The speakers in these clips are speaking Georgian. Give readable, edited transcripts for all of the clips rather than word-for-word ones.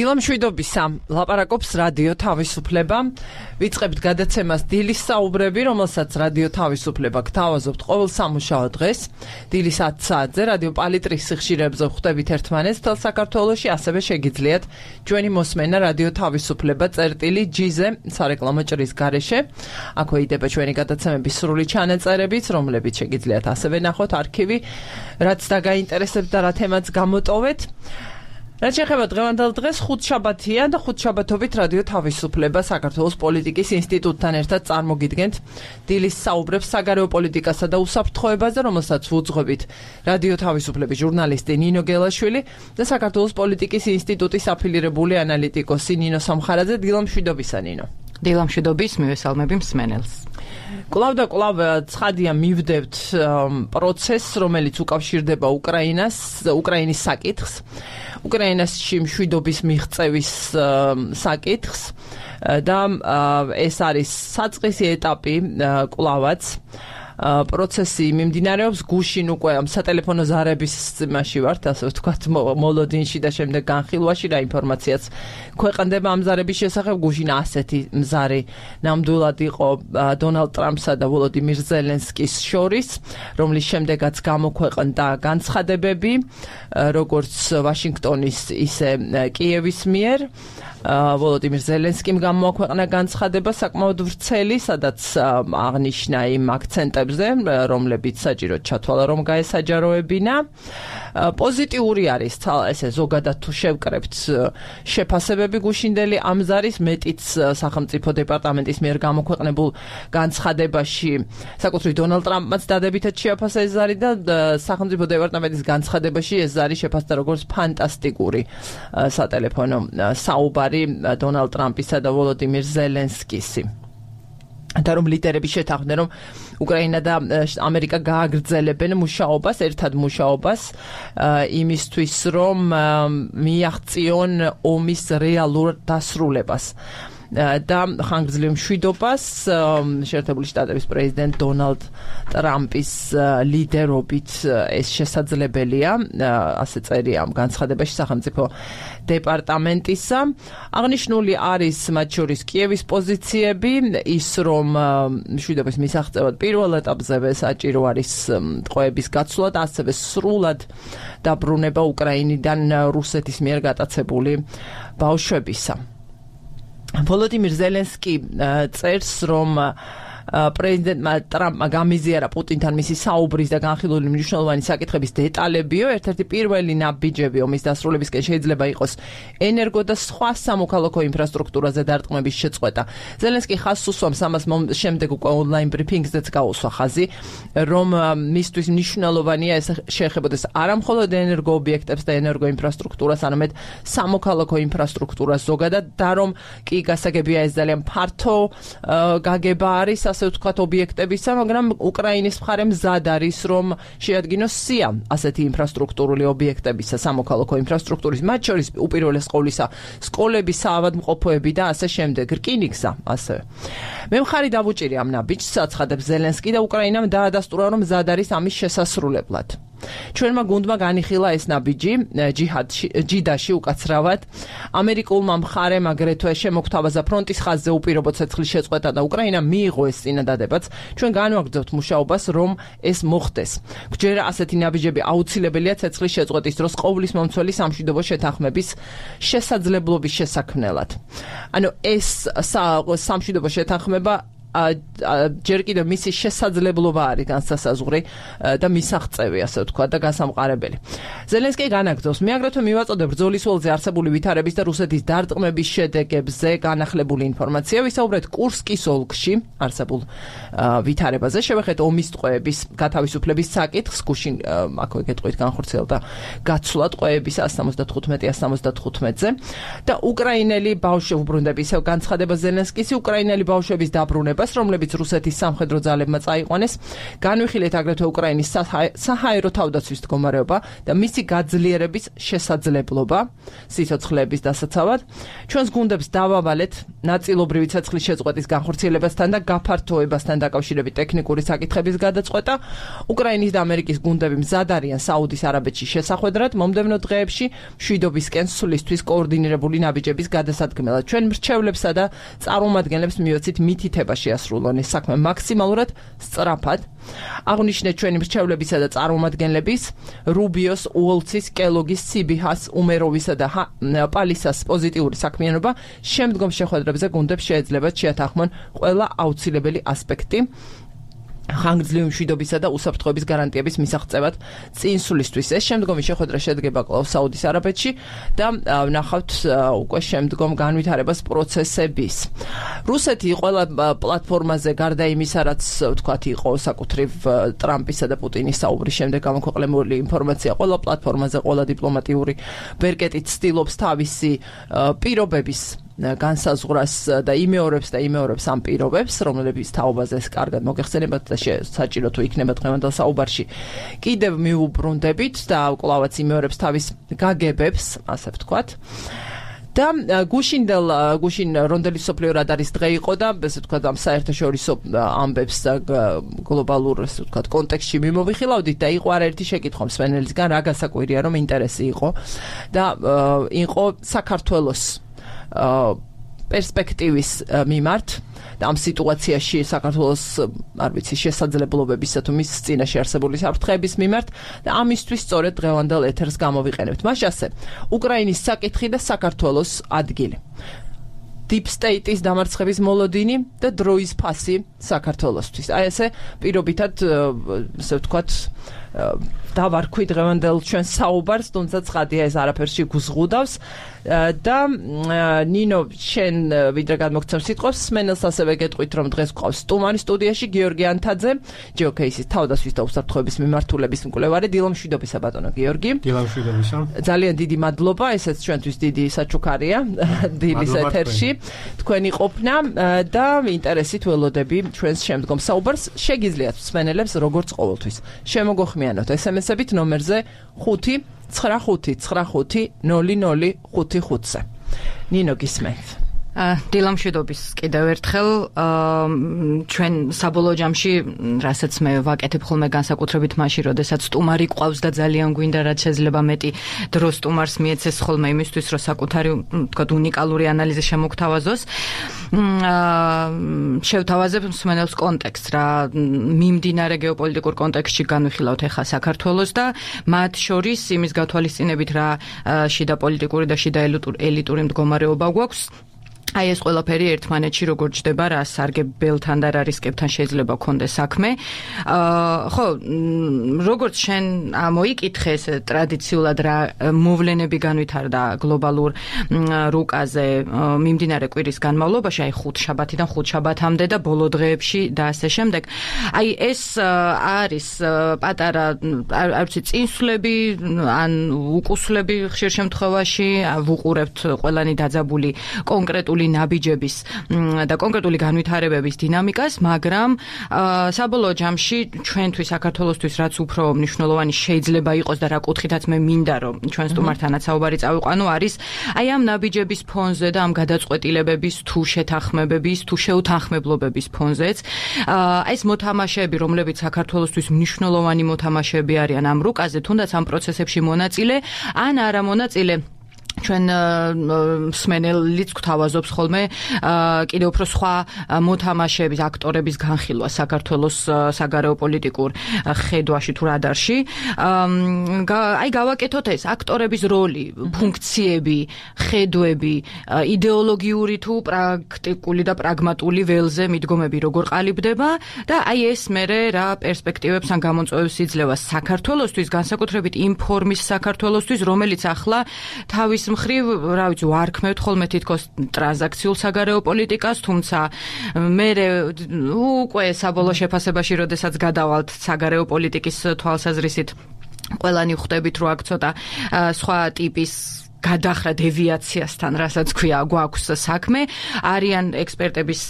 დილამშვიდობისა, ლაპარაკობს რადიო თავისუფლება. ვიწყებთ გადაცემას დილის საუბრები, რომელსაც რადიო თავისუფლება გთავაზობთ ყოველ სამუშაო დღეს. დილის 10 საათზე რადიო პალიტრის სიხშირეებზე ვხვდებით ერთმანეთს თელ საქართველოში, ასევე შეგიძლიათ ჩვენი მოსმენა რადიო თავისუფლება წერტილი-G-ზე სარეკლამო ჭრის გარეშე. აქვე იდება ჩვენი გადაცემების სრული ჩანაწერებიც, რომლებიც შეგიძლიათ ასევე ნახოთ არქივი, რაც დაგაინტერესებთ და რა თემაც გამოტოვეთ. რაც შეეხება დღევანდელ დღეს, ხუთშაბათია და ხუთშაბათობით რადიო თავისუფლება საქართველოს პოლიტიკის ინსტიტუტთან ერთად წარმოგიდგენთ დილის საუბრებს საგარეო პოლიტიკასა და უსაფრთხოებაზე, რომელსაც ვუძღვებით რადიო თავისუფლების ჟურნალისტი ნინო გელაშვილი და საქართველოს პოლიტიკის ინსტიტუტის აფილირებული ანალიტიკოსი ნინო სამხარაძე. დილამშვიდობისა, ნინო. დილამშვიდობის, მივესალმები მსმენელს. კვლავ და კვლავ ცხადია მივდევთ პროცესს, რომელიც უკავშირდება უკრაინის საკითხს, უკრაინაში მშვიდობის მიღწევის საკითხს და ეს არის საწყისი ეტაპი კვლავაც. პროცესი მიმდინარეობს გუშინ უკვე სატელეფონო ზარების იმაში ვართ, ასე ვთქვათ, მოლოდინში და შემდეგ განხილვაში რა ინფორმაციაც ქვეყნდება ამ ზარების შესახებ. გუშინ ასეთი მზარი ნამდვილად იყო დონალდ ტრამპსა და ვოლოდიმირ ზელენსკის შორის, რომლის შემდეგაც გამოქვეყნდა განცხადებები, როგორც ვაშინგტონის, ისე კიევის მიერ. ვოლოდიმირ ზელენსკიმ გამოაქვეყნა განცხადება საკმაოდ ვრცელი, სადაც აღნიშნა იმ აქცენტებზე, რომლებიც საჭიროდ ჩათვალა, რომ გაესაჯაროებინა. პოზიტიური არის ესე ზოგადად თუ შევკრებთ შეფასებები გუშინდელი ამ ზარის, მეტიც სახელმწიფო დეპარტამენტის მიერ გამოქვეყნებულ განცხადებაში საკუთრივ დონალდ ტრამპმაც დადებითად შეაფასა ეს ზარი და სახელმწიფო დეპარტამენტის განცხადებაში ეს ზარი შეფასდა როგორც ფანტასტიკური სატელეფონო საუბარი დონალდ ტრამპისა და ვოლოდიმირ ზელენსკისი. და რომ ლიდერები შეთანხმდნენ, რომ უკრაინა და ამერიკა გააგრძელებენ მუშაობას, ერთად მუშაობას იმისთვის, რომ მიაღწიონ ომის რეალურ დასრულებას და ხანგრძლივ მშვიდობას შეერთებული შტატების პრეზიდენტ დონალდ ტრამპის ლიდერობით ეს შესაძლებელია, ასე წერია ამ განცხადებაში სახელმწიფო დეპარტამენტისა. აღნიშნული არის მათ შორის კიევის პოზიციები, ის რომ მშვიდობის მისაღწევად პირველ ეტაპზე საჭირო არის ტყვეების გაცვლა და ასევე სრულად დაბრუნება უკრაინიდან რუსეთის მიერ გატაცებული ბავშვებისა. ვოლოდიმირ ზელენსკი წერს, რომ პრეზიდენტმა ტრამპმა გამიზიარა პუტინთან მისი საუბრის და განხილული მნიშვნელოვანი საკითხების დეტალებიო. ერთ-ერთი პირველი ნაბიჯები ომის დასრულებისკენ შეიძლება იყოს ენერგო და სხვა სამოქალაქო ინფრასტრუქტურაზე დარტყმების შეწყვეტა. ზელენსკი ხაზს უსვამს ამას, შემდეგ უკვე ონლაინ ბრიფინგზეც გაუსვა ხაზი, რომ მისთვის მნიშვნელოვანია ეს შეეხებოდეს არა მხოლოდ ენერგო ობიექტებს და ენერგო ინფრასტრუქტურას, არამედ სამოქალაქო ინფრასტრუქტურას ზოგადად და რომ კი გასაგებია ეს ძალიან ფართო გაგება არის, ასე ვთქვათ, ობიექტებისა, მაგრამ უკრაინის მხარე მზად არის, რომ შეადგინოს სია ასეთი ინფრასტრუქტურული ობიექტებისა, სამოქალაქო ინფრასტრუქტურის, მათ შორის უპირველეს ყოვლისა სკოლები, საავადმყოფოები და ასე შემდეგ, რკინიგზა, ასევე. მე მხარი დავუჭირი ამ ნაბიჯს, აცხადებს ზელენსკი და უკრაინამ დაადასტურა, რომ მზად არის ამის შესასრულებლად. ჩვენმა გუნდმა განიხილა ეს ნაბიჯი ჯიდაში უკაცრავად. ამერიკულმა მხარემ აგრეთვე შემოგთავაზა ფრონტის ხაზზე უპირობო ცეცხლის შეწყვეტა და უკრაინამ მიიღო ეს წინადადებაც. ჩვენ განვაგრძობთ მუშაობას, რომ ეს მოხდეს. გვჯერა ასეთი ნაბიჯები აუცილებელია ცეცხლის შეწყვეტის დროს ყოვლის მომცველი სამშვიდობო შეთანხმების შესაძლებლობის შესაქმნელად. ანუ ეს სამშვიდობო შეთანხმება ჯერ კიდევ მისი შესაძლებლობა არის განსასაზღვრი და მისაღწევი, ასე ვთქვა და გასამყარებელი. ზელენსკი განაგრძობს, მე აგრეთვე მივაწოდებ ბრძოლის ველზე არსებული ვითარების და რუსეთის დარტყმების შედეგებზე განახლებული ინფორმაცია. ვისაუბრეთ კურსკის ოლქში არსებულ ვითარებაზე, შევეხეთ ომის ტყვეების გათავისუფლების საკითხს, გუშინ აქვე გეტყვით განხორციელდა გაცვლა ტყვეების 175-175-ზე და უკრაინელი ბავშვები უბრუნდება, ისევ განცხადება ზელენსკის, უკრაინელი ბავშვების დაბრუნება განვითარებას, რომლებიც რუსეთის სამხედრო ძალებმა წაიყვანეს. განვიხილეთ აგრეთვე უკრაინის საჰაერო თავდაცვის მდგომარეობა და მისი გაძლიერების შესაძლებლობა სიცოცხლეების დასაცავად. ჩვენს გუნდებს დავავალეთ ნაწილობრივი ცეცხლის შეწყვეტის განხორციელებასთან და გაფართოებასთან დაკავშირებით ტექნიკური საკითხების გადაწყვეტა. უკრაინის და ამერიკის გუნდები მზად არიან საუდის არაბეთში შესახვედრად მომდევნო დღეებში მშვიდობისკენ სვლისთვის კოორდინირებული ნაბიჯების გადასადგმელად. ჩვენ მრჩევლებსა და წარმომადგენლებს მივეცით მითითება შეასრულონ ეს საქმე მაქსიმალურად სწრაფად. აღნიშნეთ ჩვენი მრჩევლებისა და წარმომადგენლების რუბიოს, უოლცის, კელოგის, სიბიჰას, უმეროვისა და პალისას პოზიტიური საქმიანობა შემდგომ შეხვედრებზე გუნდებს შეეძლებათ შეათანხმონ ყველა აუცილებელი ასპექტი ხანგრძლივი მშვიდობისა და უსაფრთხოების გარანტიების მისაღწევად წინსვლისთვის. ეს შემდგომი შეხვედრა შედგება კვლავ საუდის არაბეთში და ვნახავთ უკვე შემდგომ განვითარებას პროცესების. რუსეთი ყველა პლატფორმაზე გარდა იმისა, რაც ვთქვათ იყო საკუთრივ ტრამპისა და პუტინის საუბრის შემდეგ გამოქვეყნებული ინფორმაცია, ყველა პლატფორმაზე, ყველა დიპლომატიური ბერკეტით ცდილობს თავისი პირობების განსაზღვრას და იმეორებს ამ პირობებს, რომლებიც თაობაზე კარგად მოგეხსენებათ და საჭირო თუ იქნება დღევანდელ საუბარში. კიდევ მიუბრუნდებით და კვლავაც იმეორებს თავის გაგებებს, ასე ვთქვათ. და გუშინ რონდელის სოფლიო რადარის დღე იყო და ესე ვთქვათ ამ საერთაშორისო ამბებს და გლობალურ ესე ვთქვათ კონტექსტში მიმოვიხილავდით და იყო არაერთი შეკითხვა მსმენელისგან, რა გასაკვირია რომ ინტერესი იყო და იყო საქართველოს პერსპექტივის მიმართ და ამ სიტუაციაში საქართველოს არ ვიცი შესაძლებლობებისა თუ მის წინაშე არსებული საფრთხეების მიმართ და ამისთვის სწორედ დღევანდელ ეთერს გამოვიყენებთ. მას ასე უკრაინის საკითხი და საქართველოს ადგილი. Deep State-ის დამარცხების მოლოდინი და დროის ფასი საქართველოსთვის. აი ესე პირობითად ესე ვთქვათ დავარქვი დღევანდელ ჩვენ საუბარს, თუმცა ცხადია ეს არაფერში გუზღუდავს და ნინო შენ ვიდრე გადმოგცემ სიტყვას, სმენელს ასევე გეტყვით რომ დღეს გვყავს სტუმარი სტუდიაში გიორგი ანთაძე, GeoCase-ის თავდაცვის და უსაფრთხოების მიმართულების მკვლევარი. დილამშვიდობისა ბატონო გიორგი. დილამშვიდობისა. ძალიან დიდი მადლობა, ესეც ჩვენთვის დიდი საჩუქარია დილის ეთერში. თქვენი ყოფნა და ინტერესით ველოდები ჩვენს შემდგომ საუბარს. შეგიძლიათ მსმენელებს როგორც ყოველთვის შემოგოხმიანოთ SMS-ებით ნომერზე 595900555-ზე. ნინო გისმენთ. დილამშვიდობის კიდევ ერთხელ ჩვენ საბოლოო ჯამში რასაც მე ვაკეთებ ხოლმე განსაკუთრებით მაშინ როდესაც სტუმარი ყავს და ძალიან გვინდა რაც შეიძლება მეტი დრო სტუმარს მიეცეს ხოლმე იმისთვის რომ საკუთარი თქვათ უნიკალური ანალიზი შემოგთავაზოს შევთავაზებ მსმენელს კონტექსტს რა მიმდინარე გეოპოლიტიკურ კონტექსტში განვიხილავთ ახლა საქართველოს და მათ შორის იმის გათვალისწინებით რა შიდა პოლიტიკური და შიდა ელიტური მდგომარეობა გვაქვს აი ეს ყველაფერი ერთმანეთში როგორ ჯდება რა სარგებელთან და რა რისკებთან შეიძლება გქონდეს საქმე. ხო, როგორც შენ მოიკითხე ეს ტრადიციულად რა მოვლენები განვითარდა გლობალურ რუკაზე მიმდინარე კვირის განმავლობაში, აი ხუთშაბათიდან ხუთშაბათამდე და ბოლო დღეებში და ასე შემდეგ. აი ეს არის პატარა არ ვიცი წინსვლები ან უკუსლები ხშირ შემთხვევაში ვუყურებთ ყველანი დაძაბული კონკრეტული ნაბიჯების და კონკრეტული განვითარებების დინამიკას, მაგრამ საბოლოო ჯამში ჩვენთვის საქართველოსთვის რაც უფრო მნიშვნელოვანი შეიძლება იყოს და რა კუთხითაც მე მინდა რომ ჩვენ სტუმართანაც საუბარი წავიყვანო არის აი ამ ნაბიჯების ფონზე და ამ გადაწყვეტილებების თუ შეთანხმებების თუ შეუთანხმებლობების ფონზეც აი ეს მოთამაშეები რომლებიც საქართველოსთვის მნიშვნელოვანი მოთამაშეები არიან ამ რუკაზე თუნდაც ამ პროცესებში მონაწილე ან არა მონაწილე ჩვენ მსმენელიც გვთავაზობს ხოლმე კიდევ უფრო სხვა მოთამაშეების, აქტორების განხილვა საქართველოს საგარეო პოლიტიკურ ხედვაში თუ რადარში. აი გავაკეთოთ ეს აქტორების როლი, ფუნქციები, ხედვები, იდეოლოგიური თუ პრაქტიკული და პრაგმატული ველზე მიდგომები როგორ ყალიბდება და აი ეს მერე რა პერსპექტივებს ან გამოწვევებს იძლევა საქართველოსთვის, განსაკუთრებით იმ ფორმის საქართველოსთვის, რომელიც ახლა თავის მხრივ, რა ვიცი, ვარქმევთ ხოლმე თითქოს ტრანზაქციულ საგარეო პოლიტიკას, თუმცა მე უკვე საბოლოო შეფასებაში, როდესაც გადავალთ საგარეო პოლიტიკის თვალსაზრისით, ყველანი ხვდებით, რომ აქ ცოტა სხვა ტიპის გადახრა დევიაციასთან, რასაც ქვია, გვაქვს საქმე. არიან ექსპერტების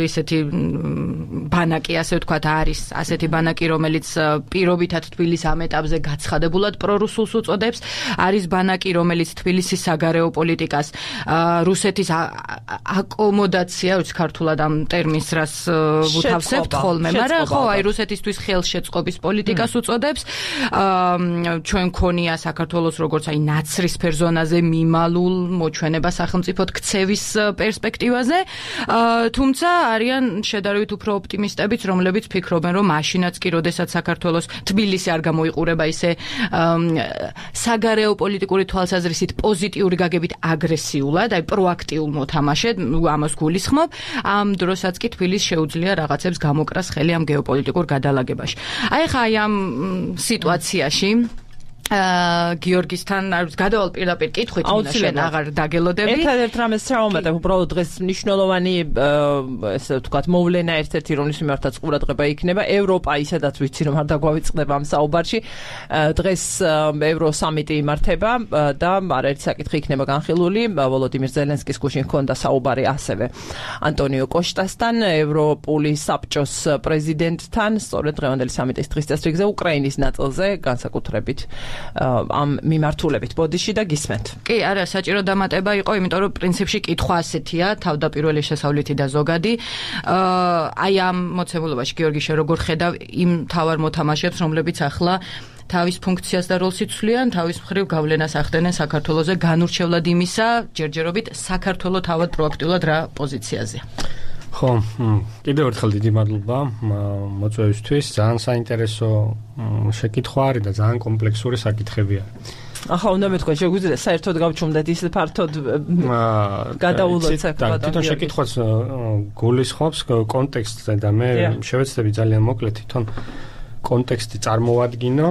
ისეთი ბანაკი, ასე ვთქვათ, არის ასეთი ბანაკი, რომელიც პირობითად თბილისის ამ ეტაპზე გაცხადებულად პრორუსულს უწოდებს. არის ბანაკი, რომელიც თბილისის საგარეო პოლიტიკას რუსეთის აკომოდაცია, ვიცი ქართულად ამ ტერმინს რას ვუთავსებთ ხოლმე, მაგრამ ხო, აი რუსეთისთვის ხელშეწყობის პოლიტიკას უწოდებს. ჩვენ ქონია საქართველოს როგორც აი ნაცრისფერ ზონაზე მიმალულ მოჩვენება სახელმწიფოდ ქცევის პერსპექტივაზე, თუმცა არიან შედარებით უფრო ოპტიმისტებიც, რომლებიც ფიქრობენ, რომ მაშინაც კი, როდესაც საქართველოს თბილისი არ გამოიყურება ისე საგარეო პოლიტიკური თვალსაზრისით პოზიტიური გაგებით აგრესიულად, აი პროაქტიულ მოთამაშედ, ამას გულისხმობ, ამ დროსაც კი თბილისს შეუძლია რაღაცებს გამოკრას ხელი ამ გეოპოლიტიკურ გადალაგებაში. აი ხა აი ამ სიტუაციაში გიორგისთან გადავალ პირდაპირ კითხვით, შენ აღარ დაგელოდები. ერთადერთ რამეს შევამატებ, უბრალოდ დღეს მნიშვნელოვანი ესე ვთქვათ მოვლენა ერთ-ერთი რომლის მიმართაც ყურადღება იქნება. ევროპა ისედაც ვიცი რომ არ დაგვავიწყდება ამ საუბარში. დღეს ევროსამიტი იმართება და არაერთი საკითხი იქნება განხილული. ვოლოდიმირ ზელენსკის გუშინ ჰქონდა საუბარი ასევე ანტონიო კოშტასთან, ევროპული საბჭოს პრეზიდენტთან, სწორედ დღევანდელი სამიტის დღის წესრიგზე უკრაინის ნაწილზე განსაკუთრებით ამ მიმართულებით. ბოდიში და გისმენთ. კი, არა, საჭირო დამატება იყო, იმიტომ რომ პრინციპში კითხვა ასეთია, თავდაპირველი შესავლითი და ზოგადი. აი ამ მოცემულობაში გიორგი შე როგორ ხედავ იმ თავარ მოთამაშებს, რომლებიც ახლა თავის ფუნქციას და როლს იცვლიან, თავის მხრივ გავლენას ახდენენ საქართველოზე, განურჩევლად იმისა, ჯერჯერობით საქართველო თავად პროაქტიულად რა პოზიციაზე. ხო, კიდევ ერთხელ დიდი მადლობა მოწვევისთვის. ძალიან საინტერესო შეკითხვა არის და ძალიან კომპლექსური საკითხებია. ახლა უნდა მეთქვა, შეგვიძლია საერთოდ გავჩუმდეთ ისე ფართოდ გადაულოთ საერთოდ. თვითონ შეკითხვაც გულისხმობს კონტექსტზე და მე შევეცდები ძალიან მოკლედ თვითონ კონტექსტი წარმოვადგინო.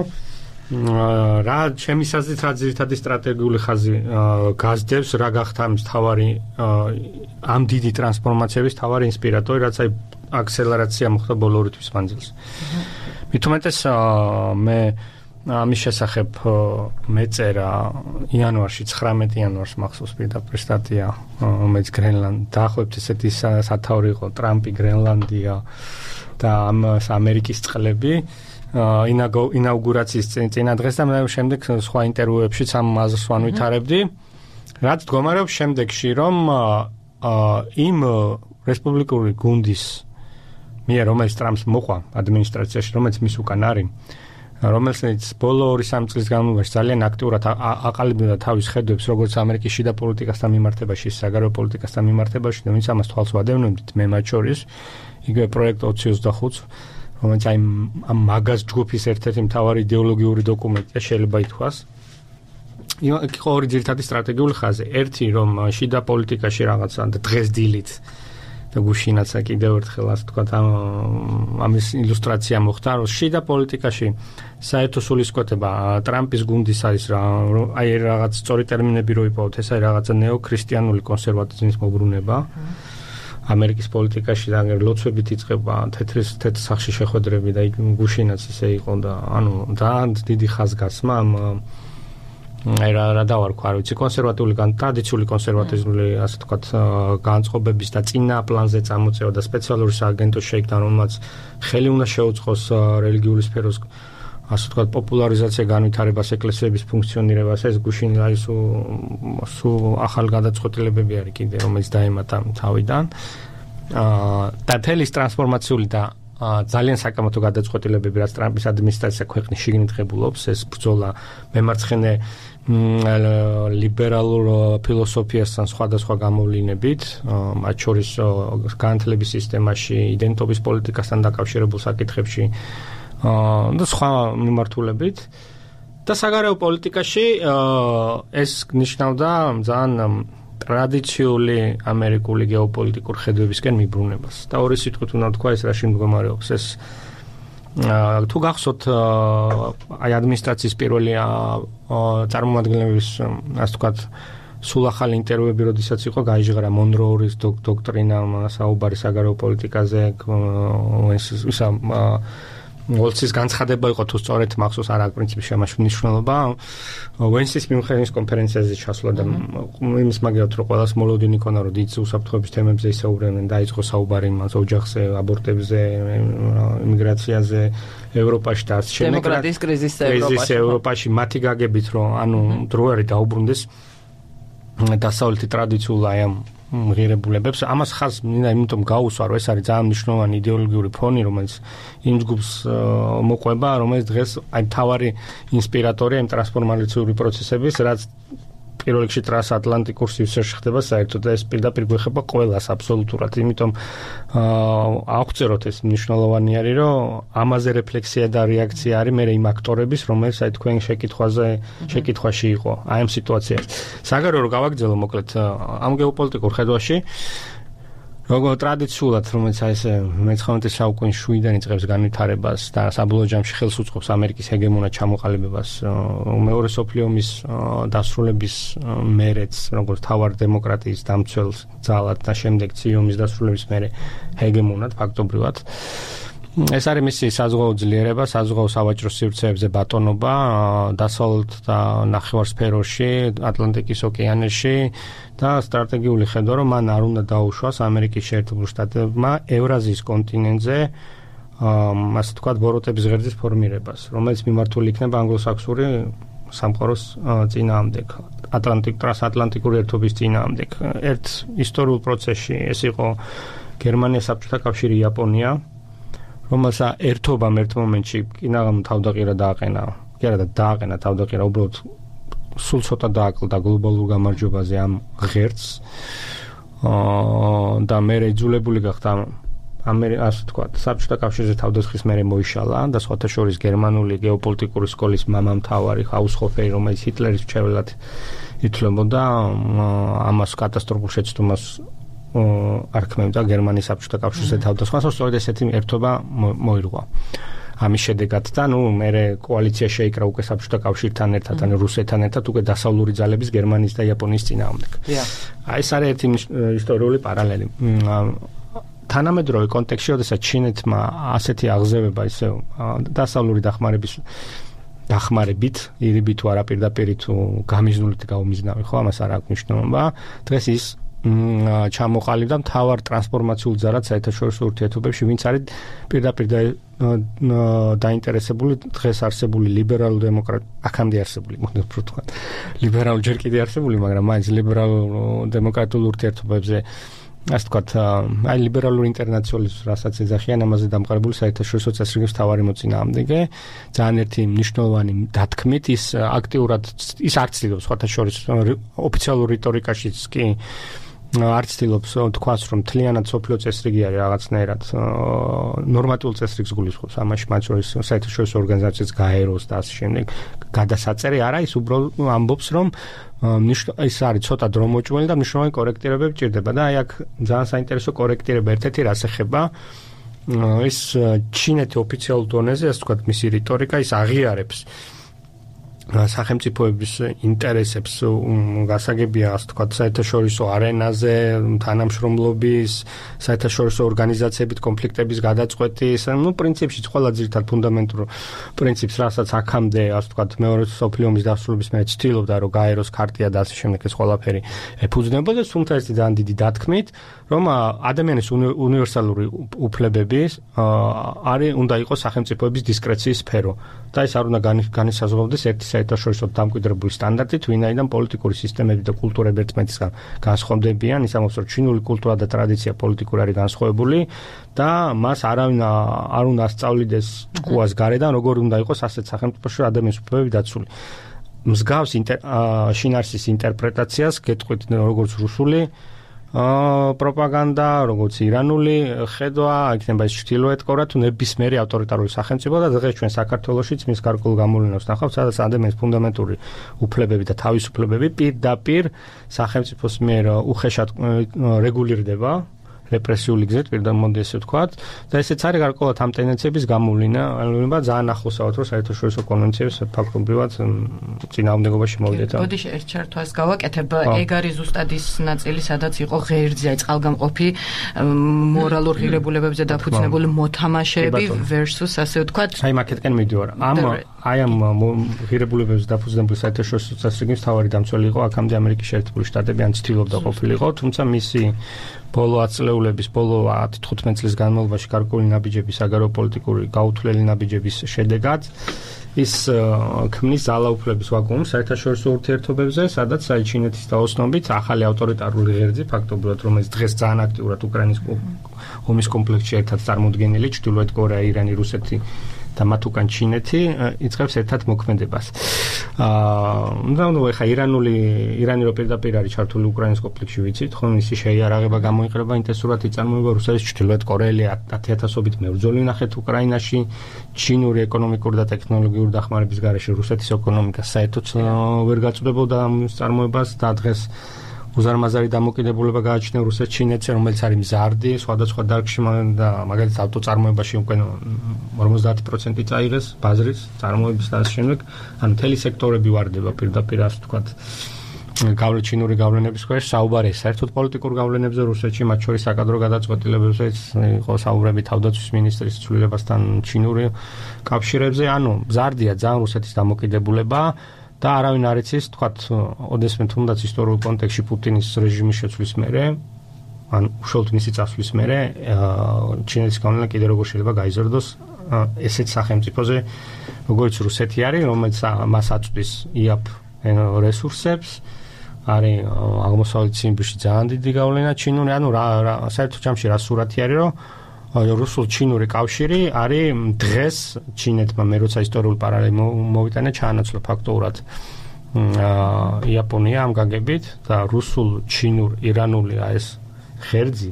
რა ჩემის აზრით რა ძირითადი სტრატეგიული ხაზი გასდევს, რა გახდა ამის თავარი ამ დიდი ტრანსფორმაციების თავარი ინსპირატორი, რაც აი აქსელერაცია მოხდა ბოლო ორი თვის მანძილზე. მით უმეტეს მე ამის შესახებ მეწერა იანვარში, 19 იანვარს მახსოვს პირდაპირ სტატია, რომელიც დაახლოებით ესეთი სათაური იყო, ტრამპი, გრენლანდია და ამერიკის წყლები. ინაუგურაციის წინა დღეს და მე შემდეგ სხვა ინტერვიუებშიც ამ აზრს ვანვითარებდი. რაც მდგომარეობს შემდეგში, რომ იმ რესპუბლიკური გუნდის მიერ, რომელიც ტრამპს მოყვა ადმინისტრაციაში, რომელიც მის უკან არის, რომელიც ბოლო 2-3 წლის განმავლობაში ძალიან აქტიურად აყალიბებდა თავის ხედვებს, როგორც ამერიკის შიდა პოლიტიკასთან მიმართებაში, საგარეო პოლიტიკასთან მიმართებაში, და ვინც ამას თვალს ვადევნებდით, მე მათ შორის, იგივე პროექტ 25, რომელიც აი ამ მაგაზ ჯგუფის ერთ-ერთი მთავარი იდეოლოგიური დოკუმენტია, შეიძლება ითქვას. იყო ორი ძირითადი სტრატეგიული ხაზი. ერთი, რომ შიდა პოლიტიკაში რაღაცა და დღეს დილით და გუშინაც კიდევ ერთხელ ასე ვთქვათ, ამის ილუსტრაცია მოხდა, რომ შიდა პოლიტიკაში საერთო სულისკვეთება ტრამპის გუნდის არის რა, აი რაღაც სწორი ტერმინები რო იპოვოთ, ეს არის რაღაცა ნეო-ქრისტიანული კონსერვატიზმის მოbrunება. ამერიკის პოლიტიკაში და ლოცვებით იწყება თეთრ სახში შეხვედრები და გუშინაც ისე იყო და ანუ ძალიან დიდი ხაზგასმა აი რა დავარქვა, არ ვიცი, კონსერვატიული ტრადიციული კონსერვატიზმული ასე ვთქვათ განწყობების და წინა პლანზე წამოწევა და სპეციალური სააგენტო შეიქმნა, რომელმაც ხელი უნდა შეუწყოს რელიგიური სფეროს ასე ვთქვათ პოპულარიზაცია, განვითარებას, ეკლესიების ფუნქციონირებას. ეს გუშინ აი სულ ახალ გადაწყვეტილებები არის კიდე, რომელიც დაემატა თავიდან. და თელის ტრანსფორმაციული და ძალიან საკამათო გადაწყვეტილებები, რაც ტრამპის ადმინისტრაცია ქვეყნის შიგნით ღებულობს, ეს ბრძოლა მემარცხენე ლიბერალურ ფილოსოფიასთან სხვადასხვა გამოვლინებით, მათ შორის განათლების სისტემაში, იდენტობის პოლიტიკასთან დაკავშირებულ საკითხებში და სხვა მიმართულებით. და საგარეო პოლიტიკაში ეს ნიშნავდა ძალიან ტრადიციული ამერიკული გეოპოლიტიკურ ხედვებისკენ მიბრუნებას. და ორი სიტყვით უნდა თქვა ეს რაში მდგომარეობს. ეს თუ გახსოვთ აი ადმინისტრაციის პირველი წარმომადგენლების ასე ვთქვათ სულ ახალი ინტერვიუები, როდესაც იყო გაიჟღერა მონროურის დოქტრინა, საუბარი საგარეო პოლიტიკაზე, ოლცის განცხადება იყო თუ სწორედ მახსოვს არ აქვს პრინციპში ამაში მნიშვნელობა. ვენსის მიმხედრის კონფერენციაზე ჩასვლა და იმის მაგალითად რომ ყველას მოლოდინი ქონა რომ დიდ უსაფრთხოების თემებზე ისაუბრებდნენ, დაიწყო საუბარი იმას ოჯახზე, აბორტებზე, იმიგრაციაზე, ევროპაში და დემოკრატიის კრიზისზე ევროპაში მათი გაგებით რომ ანუ დრო არის დაუბრუნდეს დასავლეთი ტრადიციულ აი ამ ღირებულებებს. ამას ხაზს მინდა იმიტომ გაუსვა, რომ ეს არის ძალიან მნიშვნელოვანი იდეოლოგიური ფონი, რომელიც იმ ჯგუფს მოყვება, რომელიც დღეს აი თავარი ინსპირატორია იმ ტრანსფორმაციული პროცესების, რაც პირველ რიგში ტრანსატლანტიკურ სივრცეში ხდება საერთოდ და ეს პირდაპირ გვეხება ყველას აბსოლუტურად. იმიტომ აღწეროთ ეს მნიშვნელოვანი არის, რომ ამაზე რეფლექსია და რეაქცია არის მე იმ აქტორების, რომელიც აი თქვენ შეკითხვაში იყო აი ამ სიტუაციაში. საგარეო რომ გავაგრძელო მოკლედ ამ გეოპოლიტიკურ ხედვაში როგორც ტრადიციულად, რომელიც აი ეს მე-19 საუკუნის შუიდან იწყებს განვითარებას და საბოლოო ჯამში ხელს უწყობს ამერიკის ჰეგემონად ჩამოყალიბებას, მეორე მსოფლიო ომის დასრულების მერეც, როგორც თავარ დემოკრატიის დამცველს ძალად და შემდეგ ციომის დასრულების მერე ჰეგემონად ფაქტობრივად. ეს არის მისი საზღვაო ძლიერება, საზღვაო სავაჭრო სივრცეებზე ბატონობა, დასავლეთ და ნახევარსფეროში, ატლანტიკის ოკეანეში და სტრატეგიული ხედვა, რომ მან არ უნდა დაუშვას ამერიკის შეერთებულ შტატებმა ევრაზიის კონტინენტზე, ასე ვთქვათ, ბოროტების ღერძის ფორმირებას, რომელიც მიმართული იქნება ანგლოსაქსონური სამყაროს წინააღმდეგ, ტრანსატლანტიკური ერთობის წინააღმდეგ. ერთ ისტორიულ პროცესში ეს იყო გერმანია, საბჭოთა კავშირი, იაპონია, რომელსაც ერთობამ ერთ მომენტში კინაღამ თავდაყირა დააყენა. კი არა და დააყენა თავდაყირა, უბრალოდ სულ ცოტა დააკლდა გლობალურ გამარჯვებაზე ამ ღერძს. და მე იძულებული გახდა ასე ვთქვათ, საბჭოთა კავშირზე თავდასხმის მერე მოიშალა და სხვათა შორის გერმანული გეოპოლიტიკური სკოლის მამამთავარი ჰაუსჰოფერი, რომელიც ჰიტლერის მრჩეველად ითვლებოდა, ამას კატასტროფულ შეცდომას არქმევდა გერმანიის საბჭოთა კავშირზე თავდასხმას, სწორედ ესეთი ერთობა მოირღვა. ამის შედეგად და მე კოალიცია შეიკრა უკვე საბჭოთა კავშირთან ერთად, რუსეთთან ერთად უკვე დასავლური ძალების გერმანიის და იაპონიის წინააღმდეგ. აი ეს არის ერთი ისტორიული პარალელი. თანამედროვე კონტექსტში, როდესაც ჩინეთმა ასეთი აღზევება ისე დასავლური დახმარებით, ირიბი თუ არა პირდაპირ თუ გამიზნულით გაუმიზნავი, ხო, ამას არ აქვს მნიშვნელობა. დღეს ის ჩამოყალიბდა მთავარ ტრანსფორმაციულ ძალად საერთაშორისო ურთიერთობებში, ვინც არის პირდაპირ დაინტერესებული დღეს არსებული ლიბერალურ აქამდე არსებული, მოდი ვთქვა, ლიბერალურ ჯერ კიდევ არსებული, მაგრამ მაინც ლიბერალურ დემოკრატიულ ურთიერთობებზე ასე ვთქვათ, აი ლიბერალური ინტერნაციონალიზმის რასაც ეძახიან, ამაზე დამყარებული საერთაშორისო წესრიგების მთავარი მოწინააღმდეგე, ძალიან ერთი მნიშვნელოვანი დათქმით ის აქტიურად ის არ ცდილობს სხვათა შორის ოფიციალურ რიტორიკაშიც კი არ ცდილობს თქვას, რომ მთლიანად სოფლიო წესრიგი არის რაღაცნაირად ნორმატიულ წესრიგს გულისხმობს, ამაში მათ შორის საერთაშორისო ორგანიზაციებს გაეროს და ასე შემდეგ გადასაწერი არა, ის უბრალოდ ამბობს, რომ ის არის ცოტა დრო მოჭმელი და მნიშვნელოვანი კორექტირებები ჭირდება და აი აქ ძალიან საინტერესო კორექტირება ერთ-ერთი რას ეხება ის ჩინეთი ოფიციალურ დონეზე, ასე ვთქვათ, მისი რიტორიკა ის აღიარებს სახელმწიფოების ინტერესებს გასაგებია, ასე ვთქვათ, საერთაშორისო არენაზე, თანამშრომლობის, საერთაშორისო ორგანიზაციებით კონფლიქტების გადაწყვეტის, პრინციპში ყველა ძირითად ფუნდამენტურ პრინციპს, რასაც აქამდე, ასე ვთქვათ, მეორე მსოფლიო ომის დასრულების მერე ცდილობდა, რომ გაეროს ქარტია და ასე შემდეგ ეს ყველაფერი ეფუძნებოდა, თუმცა ეს ძალიან დიდი დათქმით, რომ ადამიანის უნივერსალური უფლებების უნდა იყოს სახელმწიფოების დისკრეციის სფერო და ეს არ უნდა განისაზღვრებოდეს ერთი საერთაშორისო დამკვიდრებული სტანდარტით, ვინაიდან პოლიტიკური სისტემები და კულტურები ერთმანეთისგან განსხვავდებიან, ის ამბობს, რომ ჩინური კულტურა და ტრადიცია პოლიტიკური არის განსხვავებული და მას არავინ არ უნდა ასწავლიდეს ჭკუას გარედან, როგორ უნდა იყოს ასეთ სახელმწიფოში ადამიანის უფლებები დაცული. მსგავს შინაარსის ინტერპრეტაციას გეტყვით როგორც რუსული პროპაგანდა, როგორც ირანული ხედვა, იქნება ის ჩრდილოეთ კორეა თუ ნებისმიერი ავტორიტარული სახელმწიფო და დღეს ჩვენ საქართველოშიც მის გარკვეულ გამოვლენას ნახავთ, სადაც ადამიანის ფუნდამენტური უფლებები და თავისუფლებები პირდაპირ სახელმწიფოს მიერ უხეშად რეგულირდება. რეპრესიული გზით პირდა მოდი ესე ვთქვათ და ესეც არის გარკვეულად ამ ტენდენციების გამოვლენა ძალიან ახლოსავთ რომ საერთაშორისო კონვენციებს ფაქტობრივად წინააღმდეგობაში მოვიდეთ. მოდი ერთ ჩართვას გავაკეთებ. ეგ არის ზუსტად ის ნაწილი, სადაც იყო ღერძი, აი წყალგამყოფი მორალურ ღირებულებებზე დაფუძნებული მოთამაშეები versus ასე ვთქვათ. აი მაკეთკენ მიდივარ. ამ ღირებულებებზე დაფუძნებული საერთაშორისო წესრიგის მთავარი დამცველი იყო აქამდე ამერიკის შეერთებული შტატები, ან ცდილობდა ყოფილიყო, თუმცა მისი ბოლო აწლეულების, ბოლო 10-15 წლის განმავლობაში გარკვეული ნაბიჯების, აგროპოლიტიკური გაუთვლელი ნაბიჯების შედეგად ის ქმნის ძალაუფლების ვაკუუმს საერთაშორისო ურთიერთობებზე, სადაც ჩინეთის დაოსნობით ახალი ავტორიტარული ღერძი, ფაქტობრივად, რომელიც დღეს ძალიან აქტიურად უკრაინის ომის კომპლექსში ერთად წარმოდგენილი, ჩრდილოეთ კორეა, ირანი, რუსეთი და მათ უკან ჩინეთი იწყებს ერთად მოქმედებას. ეხა ირანი რო პირდაპირ არის ჩართული უკრაინის კონფლიქტში, ვიცით, ხო, მისი შეიარაღება გამოიყრება ინტენსიურად იწარმოება რუსეთის ჩრდილოეთ კორეელი 10,000-ობით მებრძოლი ნახეთ უკრაინაში, ჩინური ეკონომიკური და ტექნოლოგიური დახმარების გარეშე რუსეთის ეკონომიკა საერთოდ ვერ გაწვდებოდა ამ წარმოებას და დღეს უზარმაზარი დამოკიდებულება გააჩნია რუსეთს ჩინეთზე, რომელიც არის მზარდი, სხვადასხვა დარგში და მაგალითად ავტოწარმოებაში უკვე 50% წაიღეს ბაზრის წარმოების და ამ შემდეგ, ანუ მთელი სექტორები ვარდება პირდაპირ ასე ვთქვათ, ჩინური გავლენების ქვეშ. საუბარი საერთოდ პოლიტიკურ გავლენებზე რუსეთში, მათ შორის საკადრო გადაწყვეტილებებზეც იყო საუბრები თავდაცვის მინისტრის ცვლილებასთან ჩინური კავშირებზე, ანუ მზარდია ძალიან რუსეთის დამოკიდებულება. და არავინ არ იცის, თქვათ, ოდესმე თუნდაც ისტორიულ კონტექსტში პუტინის რეჟიმის შეცვლის მერე, ან უშუალოდ მისი წასვლის მერე, ჩინეთის გავლენა კიდევ როგორ შეიძლება გაიზარდოს ესეთ სახელმწიფოზე, როგორც რუსეთი არის, რომელიც მას აწვდის იაფ რესურსებს, არის აღმოსავლეთ ციმბირში ძალიან დიდი გავლენა ჩინური, ანუ საერთო ჯამში რა სურათი არის, რომ რუსულ-ჩინური კავშირი არის დღეს ჩინეთმა მე როცა ისტორიული პარალელი მოვიტანე ჩაანაცვლა ფაქტობრივად იაპონია ამ გაგებით და რუსულ-ჩინურ-ირანული ეს ღერძი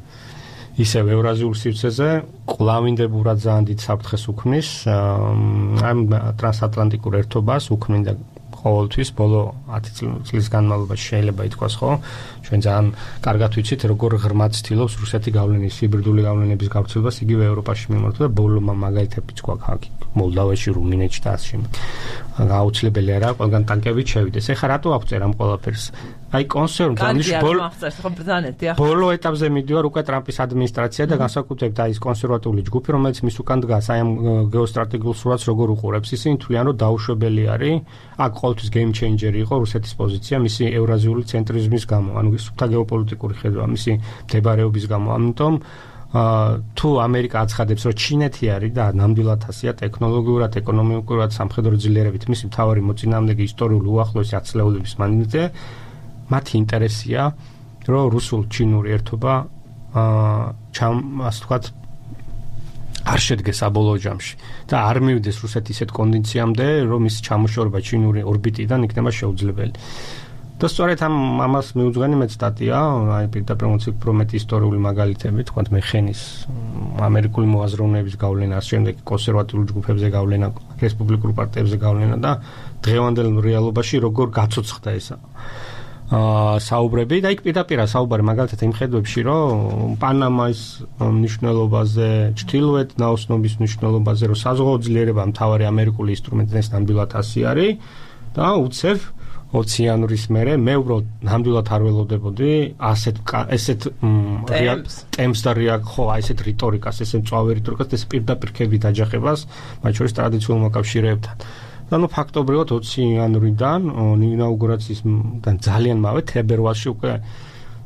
ისევ ევრაზიულ სივრცეზე კვლავინდებურად ძალიან დიდ საფრთხეს უქმნის ამ ტრანსატლანტიკურ ერთობას უქმნიდა ყოველთვის ბოლო 10 წლის განმავლობაში შეიძლება ითქვას, ხო? ჩვენ ძალიან კარგად ვიცით, როგორ ღრმად ცდილობს რუსეთი გავლენის, ჰიბრიდული გავლენების გავრცელებას იგივე ევროპაში მიმართვა და ბოლო მაგალითებიც გვაქვს აქ მოლდოვაში, რუმინეთში და ასე შემდეგ. აუცილებელი არა, ყველგან ტანკებით შევიდეს. ეხლა რატო აღწერ ამ ყველაფერს? აი კონსერვატული ბოლო ეტაპზე მიდივარ უკვე ტრამპის ადმინისტრაცია და განსაკუთრებით აი ეს კონსერვატული ჯგუფი, რომელიც მის უკან დგას, აი ამ გეოსტრატეგიულ სურათს როგორ უყურებს, ისინი თვლიან, რომ დაუშვებელი არის, აქ ყოველთვის game changer იყო რუსეთის პოზიცია მისი ევრაზიული ცენტრიზმის გამო, ანუ სუფთა გეოპოლიტიკური ხედვა, მისი მდებარეობის გამო. ამიტომ თუ ამერიკა აცხადებს, რომ ჩინეთი არის და ნამდვილად ასია ტექნოლოგიურად, ეკონომიკურად, სამხედრო ძლიერებით მისი მთავარი მოწინააღმდეგე ისტორიული უახლოესი ათწლეულების მანძილზე, მათი ინტერესია, რომ რუსულ-ჩინური ერთობა ასე ვთქვათ არ შედგეს საბოლოო ჯამში და არ მივიდეს რუსეთი ისეთ კონდიციამდე, რომ ის ჩამოშორება ჩინური ორბიტიდან იქნება შეუძლებელი. და სწორედ ამას მიუძღვენი მეც სტატია, აი პირდაპირ უფრო მეტი ისტორიული მაგალითები, თქვათ მეხენის ამერიკული მოაზროვნეების გავლენა, შემდეგ კონსერვატიულ ჯგუფებზე გავლენა, რესპუბლიკურ პარტიებზე გავლენა და დღევანდელ რეალობაში როგორ გაცოცხლდა ეს საუბრები და იქ პირდაპირ საუბარი მაგალითად იმ ხედვებში, რომ პანამის მნიშვნელობაზე, ჩრდილოეთ ნაოსნობის მნიშვნელობაზე, რომ საზღვაო ძლიერება მთავარი ამერიკული ინსტრუმენტის ნამდვილად ასი არის და უცებ 20 იანვრის მერე მე უბრალოდ ნამდვილად არ ველოდებოდი ესეთ ტემპს და ხო ესეთ რიტორიკას, ესეთ მწვავე რიტორიკას, ეს პირდაპირ ქები დაჯახებას, მათ შორის ტრადიციულ მოკავშირეებთან. და ნუ ფაქტობრივად 20 იანვრიდან ინაუგურაციისგან ძალიან მალე თებერვალში უკვე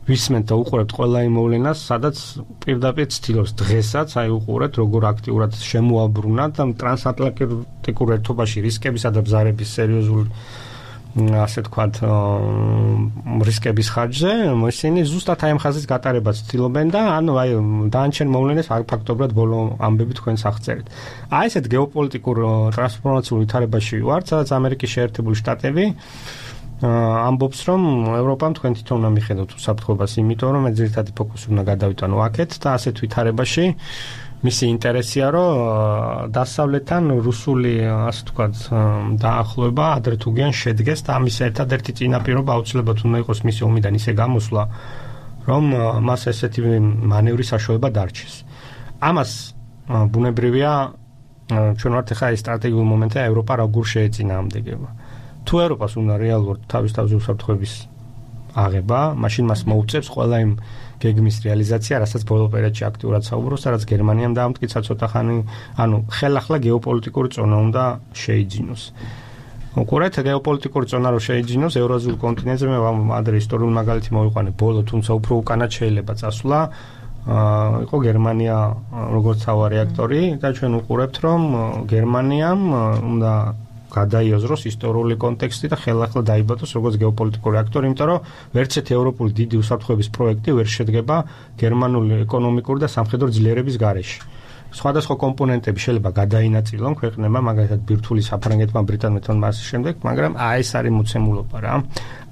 ვისმენთ და უყურებთ ყველა იმ მოვლენას, სადაც პირდაპირ ცდილობს დღესაც აი უყურეთ როგორ აქტიურად შემოაბრუნა და ტრანსატლანტიკურ ერთობაში რისკებისა და ბზარების სერიოზული ასე თქვათ რისკების ხარჯზე ისინი ზუსტად აი ამ ხაზის გატარებას ცდილობენ და ანუ აი დანარჩენ მოვლენებს ფაქტობრივად ბოლო ამბები თქვენს აღწერეთ. აი ესეთ გეოპოლიტიკურ ტრანსფორმაციულ ვითარებაში ვართ, სადაც ამერიკის შეერთებული შტატები ამბობს, რომ ევროპამ თქვენ თვითონ უნდა მიხედოთ უსაფრთხოებას, იმიტომ რომ ძირითადი ფოკუსი უნდა გადავიტანო აქეთ და ასეთ ვითარებაში მისი ინტერესია, რომ დასავლეთთან რუსული, ასე ვთქვათ, დაახლოება ადრე თუ გიან შედგეს და ამის ერთადერთი წინაპირობა აუცილებლად უნდა იყოს მისი ომიდან ისე გამოსვლა, რომ მას ესეთი მანევრის საშუალება დარჩეს. ამას ბუნებრივია ჩვენ ვართ ახლა ეს სტრატეგიული მომენტია ევროპა როგორ შეეწინააღმდეგება. თუ ევროპას უნდა რეალურად თავის უსაფრთხოების აღება, მაშინ მას მოუწევს ყველა იმ გეგმის რეალიზაცია, რასაც ბოლო პერიოდში აქტიურად საუბრობს, რაც გერმანიამ დაამტკიცა ცოტა ხანი, ანუ ხელახლა გეოპოლიტიკური ზონა უნდა შეიძინოს. უყურეთ, გეოპოლიტიკური ზონა რო შეიძინოს ევრაზიულ კონტინენტზე, მე ადრე ისტორიული მაგალითი მოვიყვანე, ბოლო თუმცა უფრო უკანად შეიძლება წასვლა, იყო გერმანია როგორც თავარი აქტორი და ჩვენ უყურებთ, რომ გერმანიამ უნდა გადაიაზროს ისტორიული კონტექსტი და ხელახლა დაიბადოს როგორც გეოპოლიტიკური აქტორი, იმიტომ რომ ვერცერთი ევროპული დიდი უსაფრთხოების პროექტი ვერ შედგება გერმანული ეკონომიკური და სამხედრო ძლიერების გარეშე. სხვადასხვა კომპონენტები შეიძლება გადაინაწილონ ქვეყნებმა, მაგალითად ბირთვული საფრანგეთმა, ბრიტანეთმა მას შემდეგ, მაგრამ ეს არის მოცემულობა რა.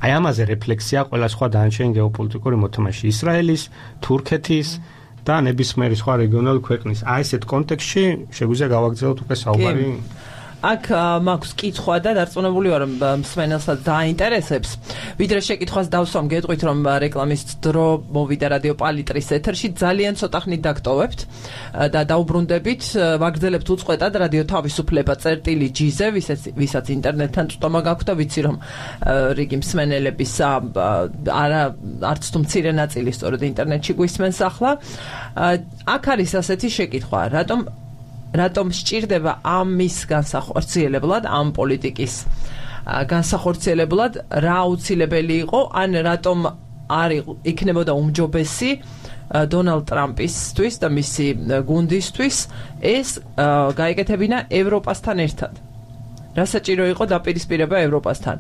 აი ამაზე რეფლექსია ყველა სხვა დანარჩენი გეოპოლიტიკური მოთამაშე ისრაელის, თურქეთის და ნებისმიერი სხვა რეგიონალური ქვეყნის. აი ესეთ კონტექსტში შეგვიძლია გავაგრძელოთ უკვე საუბარი. აქ მაქვს კითხვა და დარწმუნებული ვარ, რომ მსმენელსაც დაინტერესებს. ვიდრე შეკითხვას დავსვამ, გეტყვით, რომ რეკლამის დრო მოვიდა რადიო პალიტრის ეთერში, ძალიან ცოტა ხნით დაგტოვებთ და დაუბრუნდებით, ვაგრძელებთ უწყვეტად რადიო თავისუფლება წერტილი-G-ზე, ვისაც ინტერნეტთან წვდომა გაქვთ და ვიცი, რომ რიგი მსმენელების არც თუ მცირე ნაწილი სწორედ ინტერნეტში გვისმენს ახლა. აქ არის ასეთი შეკითხვა, რატომ სჭირდება ამის განსახორციელებლად, ამ პოლიტიკის განსახორციელებლად რა აუცილებელი იყო, ან რატომ არ იქნებოდა უმჯობესი დონალდ ტრამპისთვის და მისი გუნდისთვის ეს გაეკეთებინა ევროპასთან ერთად. რა საჭირო იყო დაპირისპირება ევროპასთან?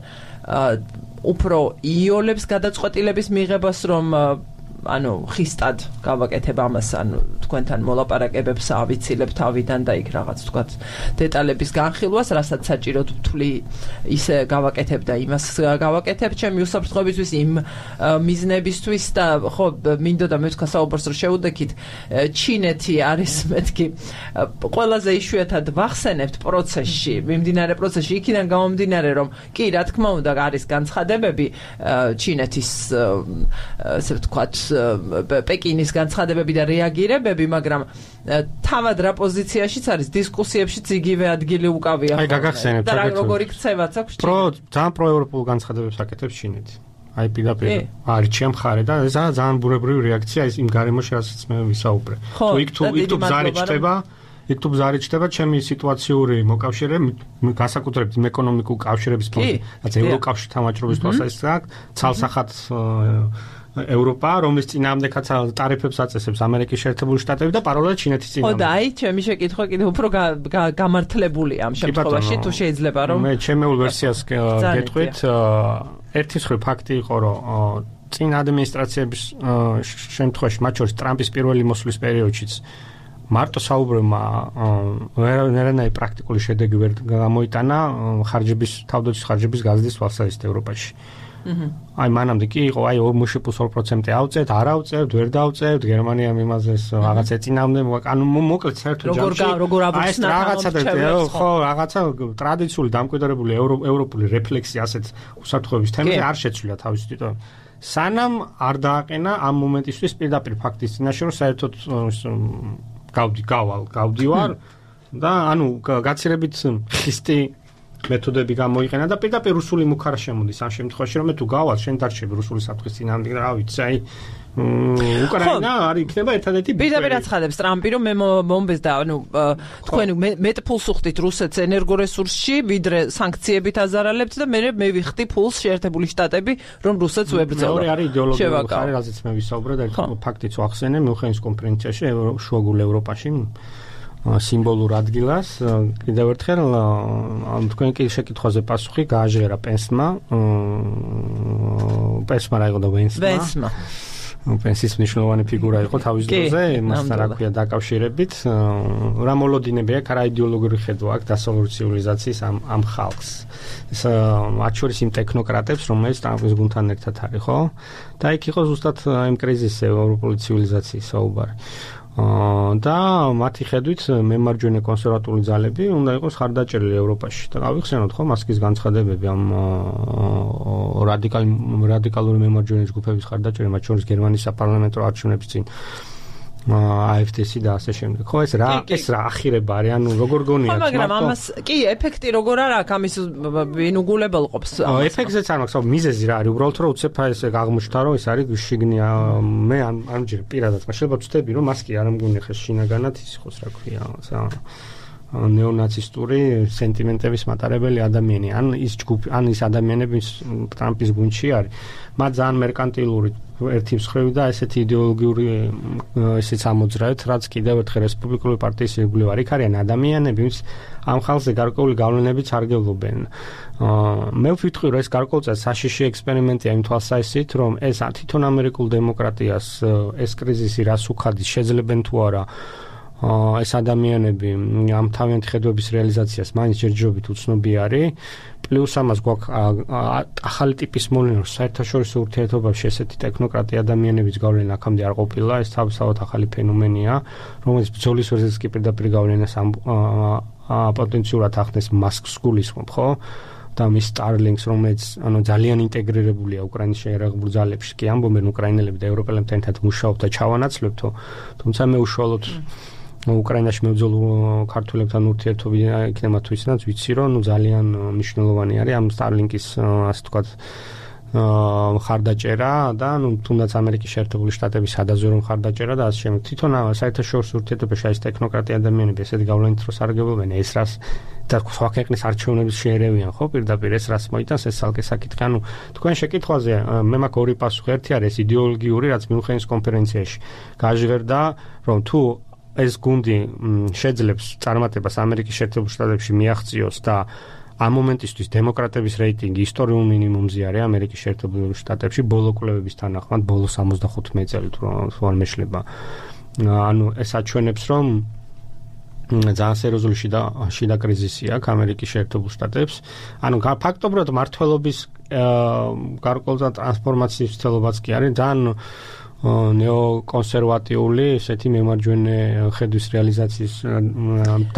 უფრო იოლებს გადაწყვეტილების მიღებას, რომ ხისტად გავაკეთებ ამას, თქვენთან მოლაპარაკებებს ავიცილებ თავიდან და იქ რაღაც თქვათ დეტალების განხილვას, რასაც საჭიროდ ვთვლი ისე გავაკეთებ და იმას გავაკეთებ ჩემი უსაფრთხოებისთვის, იმ მიზნებისთვის და ხო მინდოდა მე თქვა საუბარს რომ შევუდექით, ჩინეთი არის მეთქი ყველაზე იშვიათად ვახსენებთ პროცესში, მიმდინარე პროცესში, იქიდან გამომდინარე რომ კი რა თქმა უნდა არის განცხადებები ჩინეთის ესე ვთქვათ პეკინის განცხადებები და რეაგირებები, მაგრამ თავად რა პოზიციაშიც არის, დისკუსიებშიც იგივე ადგილი უკავია. აი გაგახსენებთ, და როგორი ქცევაც აქვს ძალიან პროევროპულ განცხადებებს აკეთებს ჩინეთი. აი პირდაპირ არის ჩემ მხარე და ეს ძალიან ბუნებრივი რეაქცია ის იმ გარემოში, რასაც მე ვისაუბრე. იქ თუ ბზარი ჩდება ჩემი სიტუაციური მოკავშირეები, განსაკუთრებით იმ ეკონომიკურ კავშირების ფონდი, რაც ევროკავშირთან ვაჭრობის თვალსაზრისით, ცალსახად ევროპა, რომლის წინააღმდეგაც ტარიფებს აწესებს ამერიკის შეერთებული შტატები და პარალელურად ჩინეთის წინააღმდეგ. ხო და აი ჩემი შეკითხვა კიდევ უფრო გამართლებულია ამ შემთხვევაში, თუ შეიძლება რომ მე ჩემეულ ვერსიას გეტყვით, ერთი მხრივ ფაქტი იყო, რომ წინ ადმინისტრაციების შემთხვევაში, მათ შორის ტრამპის პირველი მოსვლის პერიოდშიც მარტო საუბრებმა ვერანაირი პრაქტიკული შედეგი ვერ გამოიტანა თავდაცვის ხარჯების გაზრდის თვალსაზრისით ევროპაში. აი მანამდე კი იყო, აი 2+2% ავწევთ, არ ავწევთ, ვერ დავწევთ, გერმანიამ იმაზე რაღაც ეწინააღმდა, ანუ მოკლედ საერთო ჯამში როგორ აბუჩნა ხო, რაღაცა ტრადიციული დამკვიდრებული ევროპული რეფლექსი ასეთ უსაფრთხოების თემაზე არ შეცვლილა თავის თვითონ. სანამ არ დააყენა ამ მომენტისთვის პირდაპირ ფაქტის წინაშე, რომ საერთოდ გავდივარ და ანუ გაცილებით ხისტი მეთოდები გამოიყენა და პირდაპირ რუსული მუქარა შემოდის ამ შემთხვევაში, რომ მე თუ გავალ, შენ დარჩები რუსული საფრთხის წინააღმდეგ, რა ვიცი, აი უკრაინა არ იქნება ერთადერთი პირდაპირ აცხადებს ტრამპი, რომ მე მომბეს და ანუ თქვენ მეტ ფულს უხდით რუსეთს ენერგორესურსში, ვიდრე სანქციებით აზარალებთ და მე ვიხდი ფულს შეერთებული შტატები, რომ რუსეთს ვებრძოლო. მეორე არის იდეოლოგიური ხარი, რაზეც მე ვისაუბრე და ფაქტიც ვახსენე მიუხედავად კონფერენციაში შუაგულ ევროპაში სიმბოლურ ადგილას. კიდევ ერთხელ თქვენ კი შეკითხვაზე პასუხი გააჟღერა პენსმა რა იყო და ვენსმა. პენსის მნიშვნელოვანი ფიგურა იყო თავის დროზე, მასთან რა ქვია დაკავშირებით. რა მოლოდინები აქვს, რა იდეოლოგიური ხედვა აქვს დასავლური ცივილიზაციის ამ ხალხს. ეს მათ შორის იმ ტექნოკრატებს, რომელიც ტრამპის გუნდთან ერთად არის, ხო? და იქ იყო ზუსტად იმ კრიზისზე ევროპული ცივილიზაციის საუბარი. და მათი ხედვით მემარჯვენე კონსერვატული ძალები უნდა იყოს ხარდაჭერილი ევროპაში და გავიხსენოთ ხო მასკის განცხადებები ამ რადიკალური მემარჯვენე ჯგუფების ხარდაჭერა მათ შორის გერმანიის საპარლამენტო არჩევნების წინ AfD-ი და ასე შემდეგ. ხო ეს რა ახირება არის, ანუ როგორ გონიათ? მაგრამ ამას კი ეფექტი როგორ არ აქვს ამის ინუგულებელყოფს. ეფექტზეც არ მაქვს, მიზეზი რა არის? უბრალოდ რომ უცებ ეს აღმოჩნდა რომ ეს არის შიგნია მე ამჯერ პირადად შეიძლება ვწდები რომ მას კი არ ამგონი ხეს შინაგანად ის იყოს რა ქვია ნეონაცისტური სენტიმენტების მატარებელი ადამიანი ან ის ჯგუფი ან ის ადამიანები ტრამპის გუნდში არის მათ ძალიან მერკანტილური ერთი მსხვერპლი და ესეთი იდეოლოგიური ესეც ამოძრავეთ რაც კიდევ ერთხელ რესპუბლიკური პარტიის ირგვლივ არ იქ არიან ადამიანები ვინც ამ ხალხზე გარკვეული გავლენებიც არ გელობენ მე ვფიქრი რომ ეს გარკვეულწილად საშიში ექსპერიმენტია იმ თვალსაზრისით რომ ეს თვითონ ამერიკულ დემოკრატიას ეს კრიზისი რას უხადის შეძლებენ თუ არა ეს ადამიანები ამ თავიანთი ხედვების რეალიზაციას მაინც ჯერჯერობით უცნობი არის პლუს ამას გვაქვს ახალი ტიპის მოვლენა საერთაშორისო ურთიერთობებში ესეთი ტექნოკრატი ადამიანების გავლენა აქამდე არ ყოფილა ეს თავისთავად ახალი ფენომენია რომელიც ბრძოლის ვერზეც კი პირდაპირ გავლენას პოტენციურად ახდენს მასკს გულისხმობ ხო და მის Starlinks რომელიც ანუ ძალიან ინტეგრირებულია უკრაინის შეერაღებულ ძალებში კი ამბობენ უკრაინელები და ევროპელებთან ერთად მუშაობ და ჩავანაცვლებთო თუმცა მე უშუალოდ უკრაინაში მებრძოლ ქართველებთან ურთიერთობი იქნება თუ ისედაც ვიცი რომ ძალიან მნიშვნელოვანი არის ამ Starlink-ის ასე ვთქვათ ხარდაჭერა და თუნდაც ამერიკის შეერთებული შტატების სადაზვერო ხარდაჭერა და ასე შემდეგ თვითონ საერთაშორისო ურთიერთობებში ეს ტექნოკრატი ადამიანები ესეთი გავლენით რო სარგებლობენ ეს რას და სხვა ქვეყნის არჩევნების შეერევიან ხო პირდაპირ ეს რას მოიტანს ეს ალკე საკითხი ანუ თქვენ შეკითხვაზე მე მაქვს ორი პასუხი ერთი არის იდეოლოგიური რაც მიუნხენის კონფერენციაში გაჟღერდა რომ თუ ეს გუნდი შეძლებს წარმატებას ამერიკის შეერთებულ შტატებში მიაღწიოს და ამ მომენტისთვის დემოკრატების რეიტინგი ისტორიულ მინიმუმზე არის ამერიკის შეერთებულ შტატებში ბოლო კვლევების თანახმად ბოლო 75 წელი თუ არ მეშლება ანუ ეს აჩვენებს რომ ძალიან სერიოზული შიდა კრიზისი აქვს ამერიკის შეერთებულ შტატებს ანუ ფაქტობრივად მართლობის გარკვეულწილად ტრანსფორმაციის ცდილობაც კი არის ძალიან ნეოკონსერვატიული ესეთი მემარჯვენე ხედვის რეალიზაციის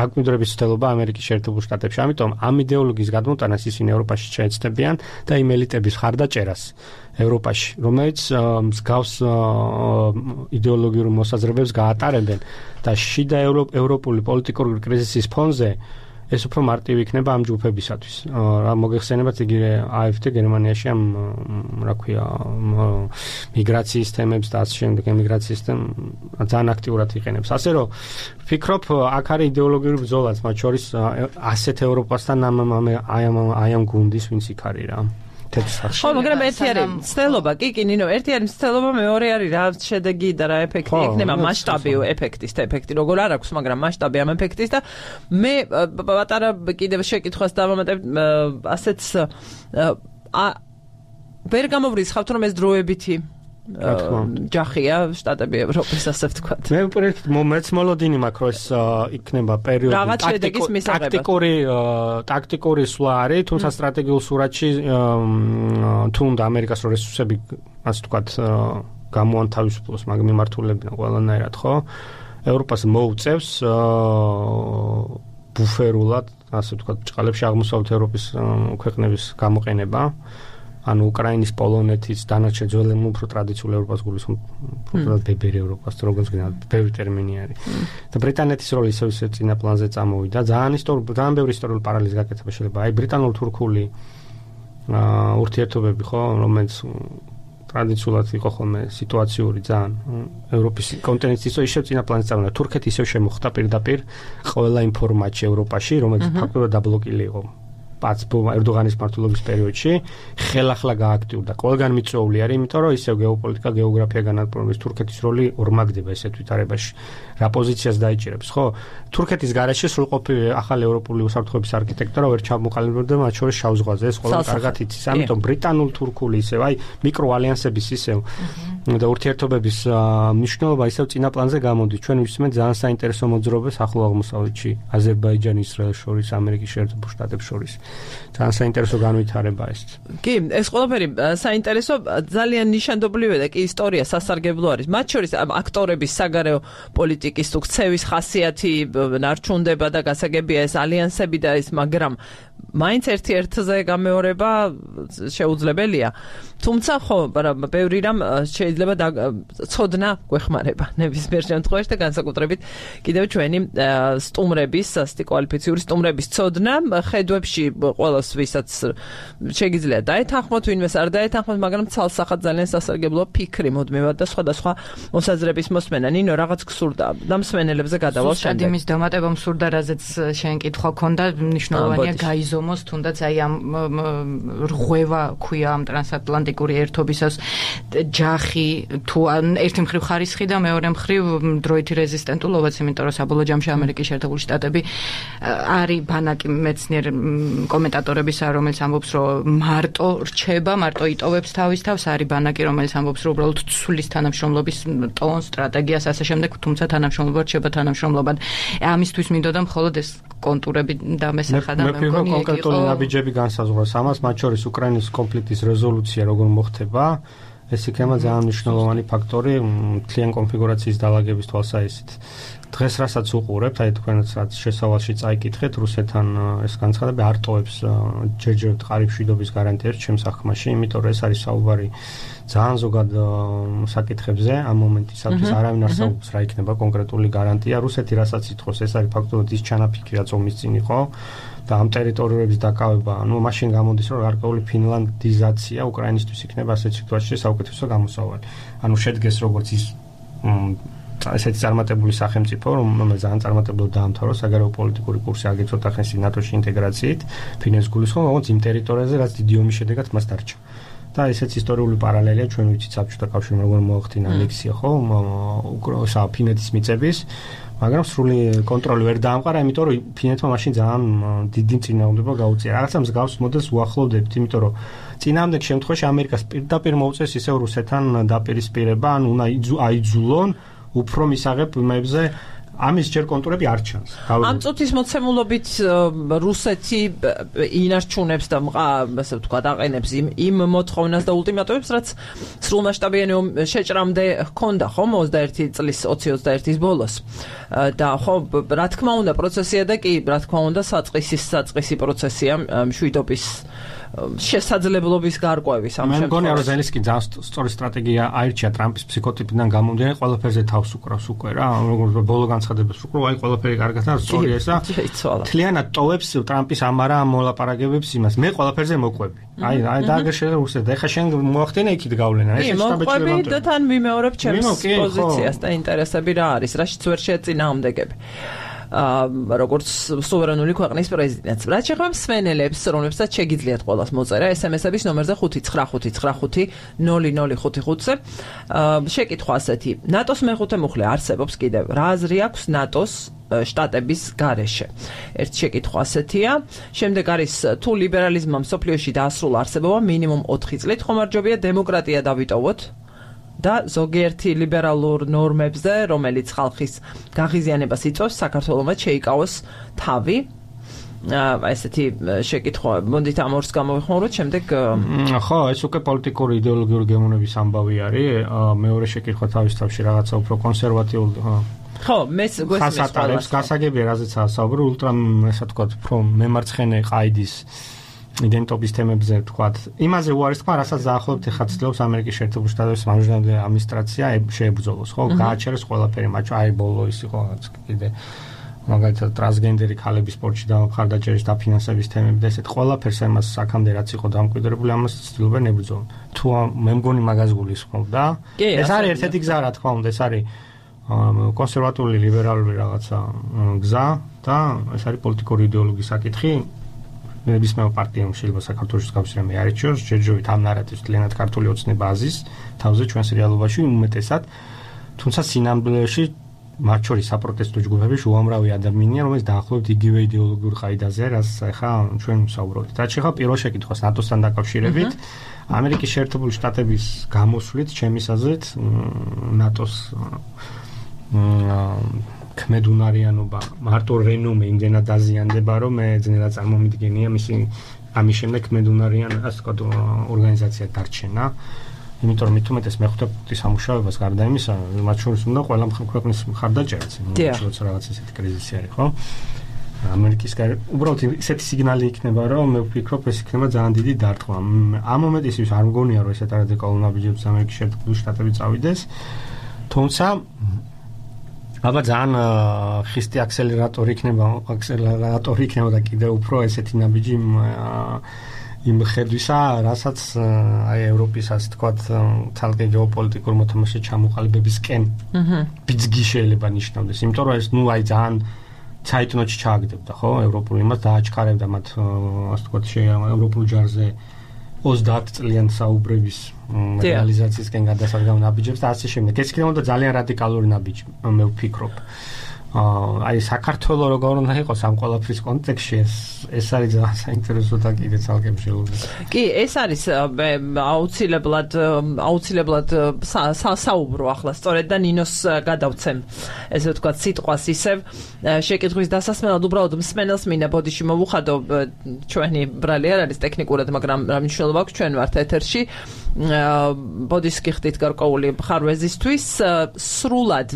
დაკვირვების ცდილობა ამერიკის შეერთებულ შტატებში. ამიტომ ამ იდეოლოგიის გადმოტანას ისინი ევროპაში შეეცდებიან და იმ ელიტების ხარდაჭერას ევროპაში, რომელიც მსგავს იდეოლოგიურ მოსაზრებებს გაატარებენ და შიდა ევროპული პოლიტიკური კრიზისის ფონზე ეს უფრო მარტივი იქნება ამ ჯგუფებისათვის. რა მოგეხსენებათ იგი AfD გერმანიაში ამ რა ქვია მიგრაციის თემებს და ასე შემდეგ ემიგრაციის ძალიან აქტიურად იყენებს. ასე რომ ვფიქრობ აქ არის იდეოლოგიური ბრძოლაც მათ შორის ასეთ ევროპასთან აი ამ გუნდის ვინც იქ არის რა. ხო, მაგრამ ერთი არის ცდელობა, კი, ნინო, ერთი არის ცდელობა, მეორე არის რა შედეგი და რა ეფექტი იქნება, მასშტაბი ეფექტის და ეფექტი როგორ არ აქვს, მაგრამ მასშტაბი ამ ეფექტის და მე პატარა კიდევ შეკითხვას დავამატებ ასეც ვერ გამოვრიცხავთ რომ ეს დროებითი ჯახია შტატები ევროპის ასე ვთქვათ. მე უბრალოდ მეც მოლოდინი მაქვს რომ ეს იქნება პერიოდი ტაქტიკური სვლა არის, თუმცა სტრატეგიულ სურათში თუნდა ამერიკას რო რესურსები ასე ვთქვათ გამოანთავისუფლოს მაგ მიმართულებიდან ყველანაირად ხო? ევროპას მოუწევს ბუფერულად ასე ვთქვათ ჭყალებში აღმოსავლეთ ევროპის ქვეყნების გამოყენება ანუ უკრაინის, პოლონეთის, დანარჩენ ძველ უფრო ტრადიციულ ევროპას გულისხმობ, უფრო ბებერი ევროპას, როგორც გინდა, ბევრი ტერმინი არის. და ბრიტანეთის როლი ისევ წინა პლანზე წამოვიდა. ძალიან ბევრი ისტორიული პარალელის გაკეთება შეიძლება. აი ბრიტანულ-თურქული ურთიერთობები ხო, რომელიც ტრადიციულად იყო ხოლმე სიტუაციური ძალიან ევროპის კონტინენტის ისევ წინა პლანზე წამოვიდა. თურქეთი ისევ შემოხდა პირდაპირ ყველა იმ ფორმატში ევროპაში, რომელიც ფაქტობრივად დაბლოკილი იყო. ერდოღანის მმართველობის პერიოდში ხელახლა გააქტიურდა. ყველგან მიწვეული არის, იმიტომ რომ ისევ გეოპოლიტიკა, გეოგრაფია განადგურების თურქეთის როლი ორმაგდება ესეთ ვითარებაში. რა პოზიციას დაიჭირებს, ხო? თურქეთის გარეშე სრულყოფილი ახალი ევროპული უსაფრთხოების არქიტექტურა ვერ ჩამოყალიბდა მათ შორის შავ ზღვაზე. ეს ყველა კარგად იცის. ამიტომ ბრიტანულ-თურქული ისევ აი მიკროალიანსების ისევ და ურთიერთობების მნიშვნელობა ისევ წინა პლანზე გამოდის. ჩვენ ვისმენთ ძალიან საინტერესო მოძრაობას ახლო აღმოსავლეთში, აზერბაიჯანი, ისრაელს შორის, ამერიკის შეერთებულ შტატებს შორის. ძალიან საინტერესო განვითარება ეს. კი, ეს ყველაფერი საინტერესო, ძალიან ნიშანდობლივია და კი ისტორია სასარგებლო არის. მათ შორის აქტორების საგარეო პოლიტიკის თუ ქცევის ხასიათი ნარჩუნდება და გასაგებია ეს ალიანსები და ეს, მაგრამ მაინც ერთ-ერთზე გამეორება შეუძლებელია. თუმცა ხო, ბევრი რამ შეიძლება ცოდნა გვეხმარება ნებისმიერ შემთხვევაში და განსაკუთრებით კიდევ ჩვენი სტუმრების, ასეთი კვალიფიციური სტუმრების ცოდნა ხედვებში ყველას ვისაც შეგიძლია დაეთანხმოთ, ვინმეს არ დაეთანხმოთ, მაგრამ ცალსახად ძალიან სასარგებლო ფიქრი მოდმევად და სხვადასხვა მოსაზრების მოსმენა. ნინო, რაღაც გსურდა და მსმენელებზე გადავალ შემდეგ. იმის დამატება მსურდა, რაზეც შენ კითხვა ქონდა, მნიშვნელოვანია გაიზომოს თუნდაც აი ამ რღვევა ქვია ამ ტრანსატლანტიკური ერთობისას ჯახი თუ ერთი მხრივ ხარისხი და მეორე მხრივ დროითი რეზისტენტულობაც, იმიტომ რომ საბოლოო ჯამში ამერიკის შეერთებული შტატები არის ბანაკი მეცნიერ კომენტატორებისა, რომელიც ამბობს, რომ მარტო რჩება, მარტო იტოვებს თავის თავს, არის ბანაკი, რომელიც ამბობს, რომ უბრალოდ ცვლის თანამშრომლობის ტონს, სტრატეგიას ასე შემდეგ, თუმცა თანამშრომლობა რჩება თანამშრომლობად. ამისთვის მინდოდა მხოლოდ ეს კონტურები დამესახა და მე მგონი კონკრეტული ნაბიჯები განსაზღვროს ამას, მათ შორის უკრაინის კონფლიქტის რეზოლუცია როგორ მოხდება. ეს იქნება ძალიან მნიშვნელოვანი ფაქტორი მთლიან კონფიგურაციის დაალაგების თვალსაზრისით. დღეს რასაც უყურებთ, აი თქვენაც რაც შესავალში წაიკითხეთ, რუსეთთან ეს განცხადები არ ტოვებს ჯერჯერობით ყარიბ მშვიდობის გარანტიებს ჩემს აღქმაში, იმიტომ რომ ეს არის საუბარი ძალიან ზოგად საკითხებზე ამ მომენტისათვის არავინ არ საუბრობს რა იქნება კონკრეტული გარანტია. რუსეთი რასაც ითხოვს, ეს არის ფაქტობრივად ის ჩანაფიქრი, რაც ომის წინ იყო და ამ ტერიტორიების დაკავება, მაშინ გამოდის, რომ გარკვეული ფინლანდიზაცია უკრაინისთვის იქნება ასეთ სიტუაციაში საუკეთესო გამოსავალი. შედგეს როგორც ის ესეთი წარმატებული სახელმწიფო, რომელსაც ძალიან წარმატებულად დაამთავრა საგარეო პოლიტიკური კურსი აგეცოთა ხანში ნატოში ინტეგრაციით, ფინეთს გულისხმობ, როგორც იმ ტერიტორიაზე, რაც დიდი ომის შედეგად მას დარჩა. და ესეც ისტორიული პარალელია, ჩვენ ვიცით საბჭოთა კავშირმა როგორ მოახდინა ანექსია, ხო, ფინეთის მიწების, მაგრამ სრული კონტროლი ვერ დაამყარა, იმიტომ რომ ფინეთმა მაშინ ძალიან დიდი წინააღმდეგობა გაუწია. რაღაცა მსგავს მოდელს უახლოვდებთ, იმიტომ რომ წინააღმდეგ შემთხვევაში ამერიკას პირდაპირ მოუწეს ისევ რუსეთთან დაპირისპირება, ან უნდა აიძულონ უფრო მისაღებ იმებზე, ამის ჯერ კონტურები არ ჩანს. ამ წუთის მოცემულობით რუსეთი ინარჩუნებს და ასე ვთქვათ, აყენებს იმ მოთხოვნას და ულტიმატუმებს, რაც სრულმასშტაბიანი შეჭრამდე ჰქონდა, ხო, 21 წლის 2021-ის ბოლოს. და ხო, რა თქმა უნდა, პროცესია და კი, რა თქმა უნდა, საწყისი პროცესია მშვიდობის შესაძლებლობის გარკვევის ამ შემთხვევაში. მე მგონია, რომ ზელენსკი ძალიან სწორი სტრატეგია აირჩია ტრამპის ფსიქოტიპიდან გამომდინარე, ყველაფერზე თავს უკრავს უკვე რა, როგორც ბოლო განცხადებას უკრავ, აი ყველაფერი კარგად და სწორია ეს და თლიანად ტოვებს ტრამპის ამარა ამ მოლაპარაკებებს იმას. მე ყველაფერზე მოყვები. აი დააგერშე რუსეთ და ეხა შენ მოახდინე იქით გავლენა. ეს შტაბეჭდება. მოყვები და თან ვიმეორებ ჩემს პოზიციას და ინტერესები რა არის, რაშიც ვერ შეეწინააღმდეგები. როგორც სუვერენული ქვეყნის პრეზიდენტს. რაც შეეხება მსმენელებს, რომლებსაც შეგიძლიათ ყველას მოწერა SMS-ების ნომერზე 595500555-ზე. შეკითხვა ასეთი. ნატოს მეხუთე მუხლი არსებობს კიდევ. რა აზრი აქვს ნატოს შტატების გარეშე? ერთ შეკითხვა ასეთია. შემდეგ არის თუ ლიბერალიზმმა მსოფლიოში დაასრულა არსებობა მინიმუმ 4 წლით, ხომარჯობია დემოკრატია დავიტოვოთ და ზოგიერთი ლიბერალურ ნორმებზე, რომელიც ხალხის გაღიზიანებას იწვევს, საქართველოს შეიკავოს თავი. ესეთი შეკითხვა, მოდით ამ ორს გამოვიხმაუროთ, შემდეგ ხო, ეს უკვე პოლიტიკური იდეოლოგიური გემოვნების ამბავი არის. მეორე შეკითხვა თავის თავში რაღაცა უფრო კონსერვატიული ხო, მეს გვესმის გასაგებია, რაზეც საუბარი, ultra, ასე ვთქვათ, უფრო მემარცხენე ყაიდის იდენტობის თემებზე ვთქვათ. იმაზე უარის თქმა, რასაც დაახლოებით ახლა ცდილობს ამერიკის შეერთებული შტატების მამჟანებელი ადმინისტრაცია შეებრძოლოს, ხო? გააჩერეს ყველაფერი, მათ აი ბოლო ის იყო კიდე მაგალითად ტრანსგენდერი ქალების სპორტში და მხარდაჭერის დაფინანსების თემები და ესეთ ყველაფერს ამას აქამდე რაც იყო დამკვიდრებული, ამას ცდილობენ ებრძოლონ. თუ მე მგონი მაგას გულისხმობ და ეს არის ერთ-ერთი გზა, რა თქმა უნდა, ეს არის კონსერვატიული ლიბერალური რაღაცა გზა და ეს არის პოლიტიკური იდეოლოგიის საკითხი. ნებისმიერ პარტიამ შეიძლება საქართველოს კავშირი არჩიოს, ჯერჯერობით ამ ნარატივს კლიენტ ქართული ოცნება აზის თავზე ჩვენს რეალობაში უმეტესად, თუმცა სინამდვილეში მათ შორის საპროტესტო ჯგუფებში უამრავი ადამიანია, რომელიც დაახლოებით იგივე იდეოლოგიურ ყაიდაზე, რაც ახლა ჩვენ ვსაუბრობთ. რაც ახლა პირველ შეკითხვას ნატოსთან დაკავშირებით, ამერიკის შეერთებული შტატების გამოსვლით, ჩემის აზრით, ნატოს ქმედუნარიანობა, მარტო რენომე იმდენად დაზიანდება, რომ მე ძნელად წარმომიდგენია მისი ამის შემდეგ ქმედუნარიან ასე ვთქვათ ორგანიზაცია დარჩენა. იმიტომ რომ მithumetes მეხუთე პუნქტის სამუშაოებას გარდა იმისა, მათ შორის უნდა ყველა ქვეყნის მხარდაჭერაც, როცა რაღაც ესეთი კრიზისი არის, ხო? ამერიკის უბრალოდ ესეთი სიგნალი იქნება, რომ მე ვფიქრობ, ეს იქნება ძალიან დიდი დარტყმა. ამ მომენტისთვის არ მგონია, რომ ესეთ რადიკალურ ნაბიჯებს ამერიკის შეერთებული შტატები წავიდეს. თუმცა აბა ძალიან ხისტი აქსელერატორი იქნება და კიდევ უფრო ესეთი ნაბიჯი იმ ხედვისა, რასაც აი ევროპის ასე თქვათ თალკე გეოპოლიტიკურ მოთამაშე ჩამოყალიბებისკენ ბიძგი შეიძლება ნიშნავდეს. იმიტომ რომ ეს აი ძალიან ცაიტნოტში ჩააგდებდა, ხო? ევროპული იმას დააჩქარებდა მათ ასე თქვათ ევროპულ ჯარზე 30 წლიან საუბრების რეალიზაციისკენ გადასარგავ ნაბიჯებს და ასე შემდეგ. ეს იქნებოდა ძალიან რადიკალური ნაბიჯი, მე ვფიქრობ. აი საქართველოს როგორ უნდა იყოს ამ ყველაფრის კონტექსტში ეს არის ძალიან საინტერესო და კიდე ცალკე მსჯელობი. კი, ეს არის აუცილებლად საუბრო ახლა სწორედ და ნინოს გადავცემ ესე ვთქვათ სიტყვას ისევ შეკითხვის დასასმელად უბრალოდ მსმენელს მინდა ბოდიში მოვუხადო ჩვენი ბრალი არ არის ტექნიკურად, მაგრამ რა მნიშვნელობა აქვს ჩვენ ვართ ეთერში. ბოდის გიხდით გარკვეული მხარვეზისთვის სრულად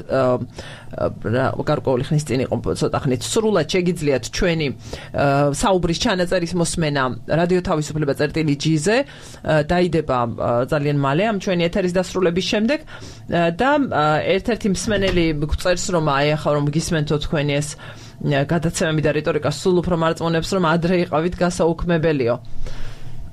გარკვეული ხნის წინ იყო ცოტა ხნით სრულად შეგიძლიათ ჩვენი საუბრის ჩანაწერის მოსმენა რადიო თავისუფლება წერტილი.gz-ზე დაიდება ძალიან მალე ამ ჩვენი ეთერის დასრულების შემდეგ და ერთ-ერთი მსმენელი გწერს რომ აი ახლა რომ გისმენთო თქვენი ეს გადაცემები და რიტორიკა სულ უფრო მარწმუნებს რომ ადრე იყავით გასაუქმებელიო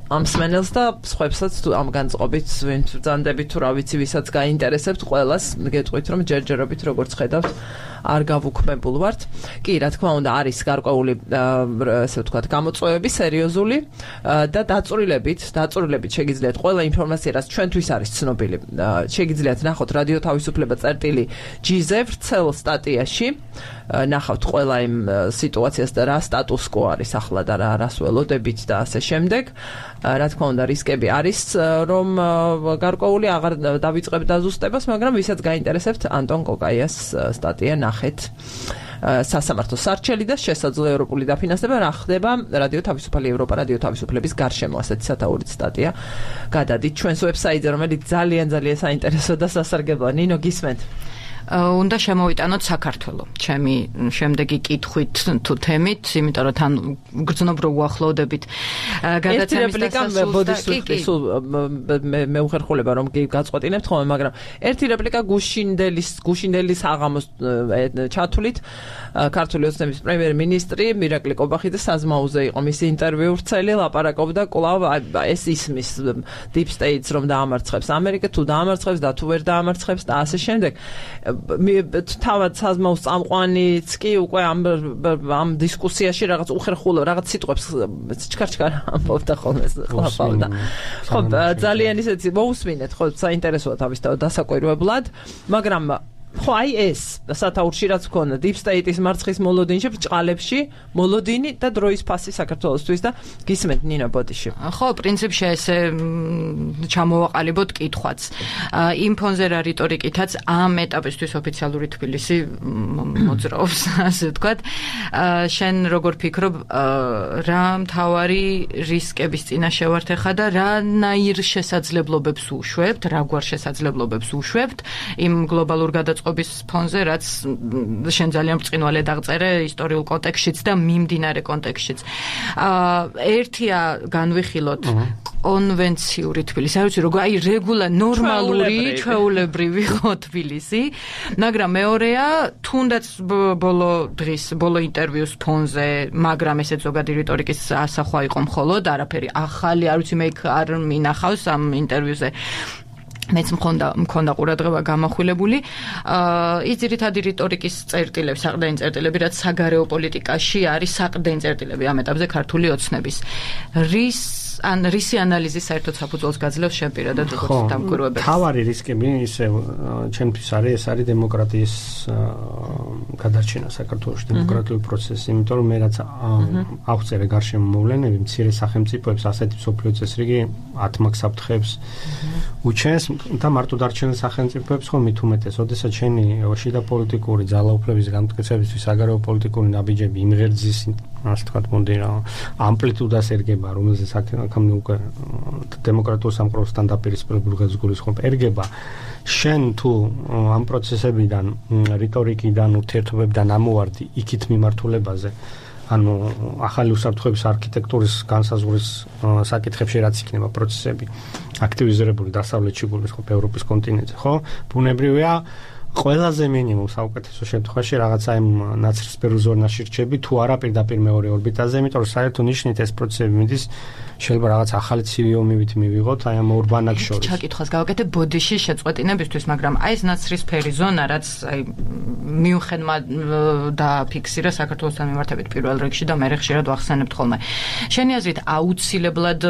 ამ მსმენელს და სხვებსაც თუ ამ განწყობით ვინ ბრძანდებით თუ რა ვიცი ვისაც გაინტერესებთ ყველას გეტყვით რომ ჯერჯერობით როგორც ხედავთ არ გავუქმებულ ვართ. კი, რა თქმა უნდა, არის გარკვეული ესე ვთქვათ გამოწვევები სერიოზული და დაწვრილებით შეგიძლიათ ყველა ინფორმაცია რაც ჩვენთვის არის ცნობილი შეგიძლიათ ნახოთ რადიო თავისუფლება წერტილი.gz ვრცელ სტატიაში ნახავთ ყველა იმ სიტუაციას და რა სტატუს კო არის ახლა და რას ველოდებით და ასე შემდეგ. რა თქმა უნდა, რისკები არის რომ გარკვეული აღარ დავიწყებ დაზუსტებას, მაგრამ ვისაც გაინტერესებთ ანტონ კოკაიას სტატია ნახეთ. სასამართლო სარჩელი და შესაძლო ევროპული დაფინანსება რა ხდება რადიო თავისუფალი ევროპა რადიო თავისუფლების გარშემო ასეთი სათაურით სტატია გადადით ჩვენს ვებსაიტზე რომელიც ძალიან საინტერესო და სასარგებლოა. ნინო გისმენთ? უნდა შემოვიტანოთ საქართველო ჩემი შემდეგი კითხვით თუ თემით, იმიტომ რომ თან გრძნობ რო უახლოვდებით გადაცემის დასასრულს მე უხერხულება რომ გაწყვეტინებთ ხოლმე, მაგრამ ერთი რეპლიკა გუშინდელის აღამოს ჩათვლით ქართული ოცნების პრემიერ-მინისტრი მირაკლი კობახიძე საზმაოზე იყო მისი ინტერვიუ ვრცელი, ლაპარაკობდა კვლავ ეს ისმის deep states რომ დაამარცხებს ამერიკა, თუ დაამარცხებს და თუ ვერ დაამარცხებს და ასე შემდეგ. თავად საზმაოს წამყვანიც კი უკვე ამ დისკუსიაში რაღაც უხერხულო რაღაც სიტყვებს ჩქარ ამბობდა ხოლმე ყლაპავდა. ხო, ძალიან ისეთი მოусმინეთ, ხო, საინტერესოა თავისთავად დასაკვირვებლად, მაგრამ ხო აი ეს სათაურში რაც გქონდა deep state-ის მარცხის მოლოდინში ბრჭყალებში მოლოდინი და დროის ფასი საქართველოსთვის და გისმენთ ნინო ბოდიში. ხო, პრინციპში ესე ჩამოვაყალიბოთ კითხვაც. იმ ფონზე რა რიტორიკითაც ამ ეტაპისთვის ოფიციალური თბილისი მოძრაობს, ასე ვთქვათ. შენ როგორ ფიქრობ, რა მთავარი რისკების წინაშე ვართ ახლა და რანაირ შესაძლებლობებს უშვებთ, რაგვარ შესაძლებლობებს უშვებთ იმ გლობალურ გადაწყობის ფონზე, რაც შენ ძალიან ბრწყინვალედ აღწერე ისტორიულ კონტექსტშიც და მიმდინარე კონტექსტშიც. ერთია განვიხილოთ კონვენციური თბილისი, არ ვიცი როგორ, აი რეგულა ნორმალური, ჩვეულებრივი ხო თბილისი, მაგრამ მეორეა თუნდაც ბოლო ინტერვიუს ფონზე, მაგრამ ესეც ზოგადი რიტორიკის ასახვა იყო მხოლოდ, არაფერი ახალი, არ ვიცი მე არ მინახავს ამ ინტერვიუზე. მეც მქონდა ყურადღება გამახვილებული. ის ძირითადი რიტორიკის წერტილები, საყრდენი წერტილები, რაც საგარეო პოლიტიკაში არის საყრდენი წერტილები ამ ეტაპზე ქართული ოცნების. რისი ანალიზი საერთოდ საფუძველს გაძლევს შენ პირადად როგორც დამკვირვებელი? თავარი რისკები ისე ჩემთვის ეს არის დემოკრატიის გადარჩენა საქართველოში, დემოკრატიული პროცესი, იმიტომ რომ მე რაც აღწერე გარშემო მოვლენები, მცირე სახელმწიფოებს ასეთი მსოფლიო წესრიგი ათმაკ საფრთხეებს უჩენს, და მარტო დარჩენილ სახელმწიფოებს ხომ მით უმეტეს, ოდესაც შენი შიდა პოლიტიკური ძალაუფლების გამტკიცებისთვის საგარეო პოლიტიკური ნაბიჯები იმ ღერძის, ასე ვთქვათ, მოდი რა, ამპლიტუდას ერგება, რომელზეც აქამდე უკვე დემოკრატიულ სამყაროსთან დაპირისპირებული ღერძ გულისხმობ ერგება, შენ თუ ამ პროცესებიდან, რიტორიკიდან, ურთიერთობებიდან ამოვარდი იქით მიმართულებაზე, ანუ ახალი უსაფრთხოების არქიტექტურის განსაზღვრის საკითხებში რაც იქნება პროცესები აქტივიზირებული დასავლეთში გულისხმობ ევროპის კონტინენტზე, ხო? ბუნებრივია ყველაზე მინიმუმ საუკეთესო შემთხვევაში რაღაცა იმ ნაცრისფერ ზონაში რჩები, თუ არა პირდაპირ მეორე ორბიტაზე, იმიტომ რომ საერთო ნიშნით ეს პროცესები მიდის შეიძლება რაღაც ახალი ცივი ომივით მივიღოთ აი ამ ორ ბანაკს შორის. ჩაკითხავს გავაკეთე ბოდიშის შეწყვეტინებისთვის, მაგრამ აი ეს ნაცრისფერი ზონა, რაც აი მიუხედმა დააფიქსირა საქართველოსთან მიმართებით პირველ რიგში და მე ხშირად ვახსენებთ ხოლმე. შენი აზრით აუცილებლად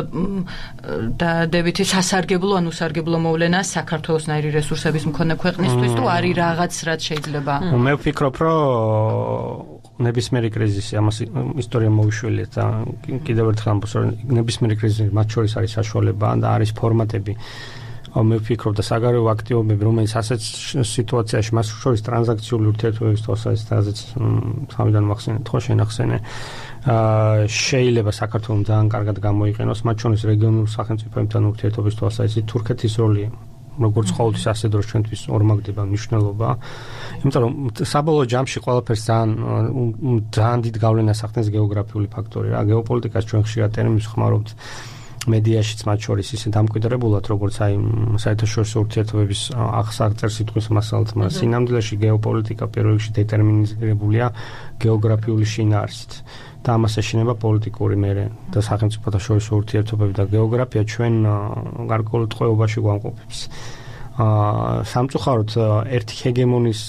დადებითი სასარგებლო ან უსარგებლო მოვლენა საქართველოსნაირი რესურსების მქონე ქვეყნისთვის თუ არის რაღაც რაც შეიძლება? მე ვფიქრობ, რომ ნებისმიერი კრიზისი ამას ისტორია მოუშვიათ და კიდევ ერთხელ ამბობს, რომ ნებისმიერი კრიზისი მათ შორის არის საშუალება და არის ფორმატები. მე ვფიქრობ და საგარეო აქტივობები, რომელიც ასეთ სიტუაციაში მას შორის ტრანზაქციული ურთიერთობების თვალსაზრისით, თავიდან ვახსენეთ, ხო შენახსენე, შეიძლება საქართველოს ძალიან კარგად გამოიყენოს, მათ შორის რეგიონულ სახელმწიფოებთან ურთიერთობის თვალსაზრისით თურქეთის როლი როგორც ყოველთვის ასე დროს ჩვენთვის ორმაგდება მნიშვნელობა. იმიტომ რომ საბოლოო ჯამში ყველაფერს ძალიან დიდ გავლენას ახდენს გეოგრაფიული ფაქტორი რა. გეოპოლიტიკას ჩვენ ხშირად ტერმინს ხმარობთ მედიაშიც მათ შორის ისე დამკვიდრებულად, როგორც აი საერთაშორისო ურთიერთობების აღსაღწერ სიტყვის მასალად, მაგრამ სინამდვილეში გეოპოლიტიკა პირველ რიგში დეტერმინირებულია გეოგრაფიული შინაარსით. და ამას ეშინება პოლიტიკური მერე და სახელმწიფოთა შორისო ურთიერთობები და გეოგრაფია ჩვენ გარკვეულ ტყვეობაში გვამყოფებს. სამწუხაროდ ერთი ჰეგემონის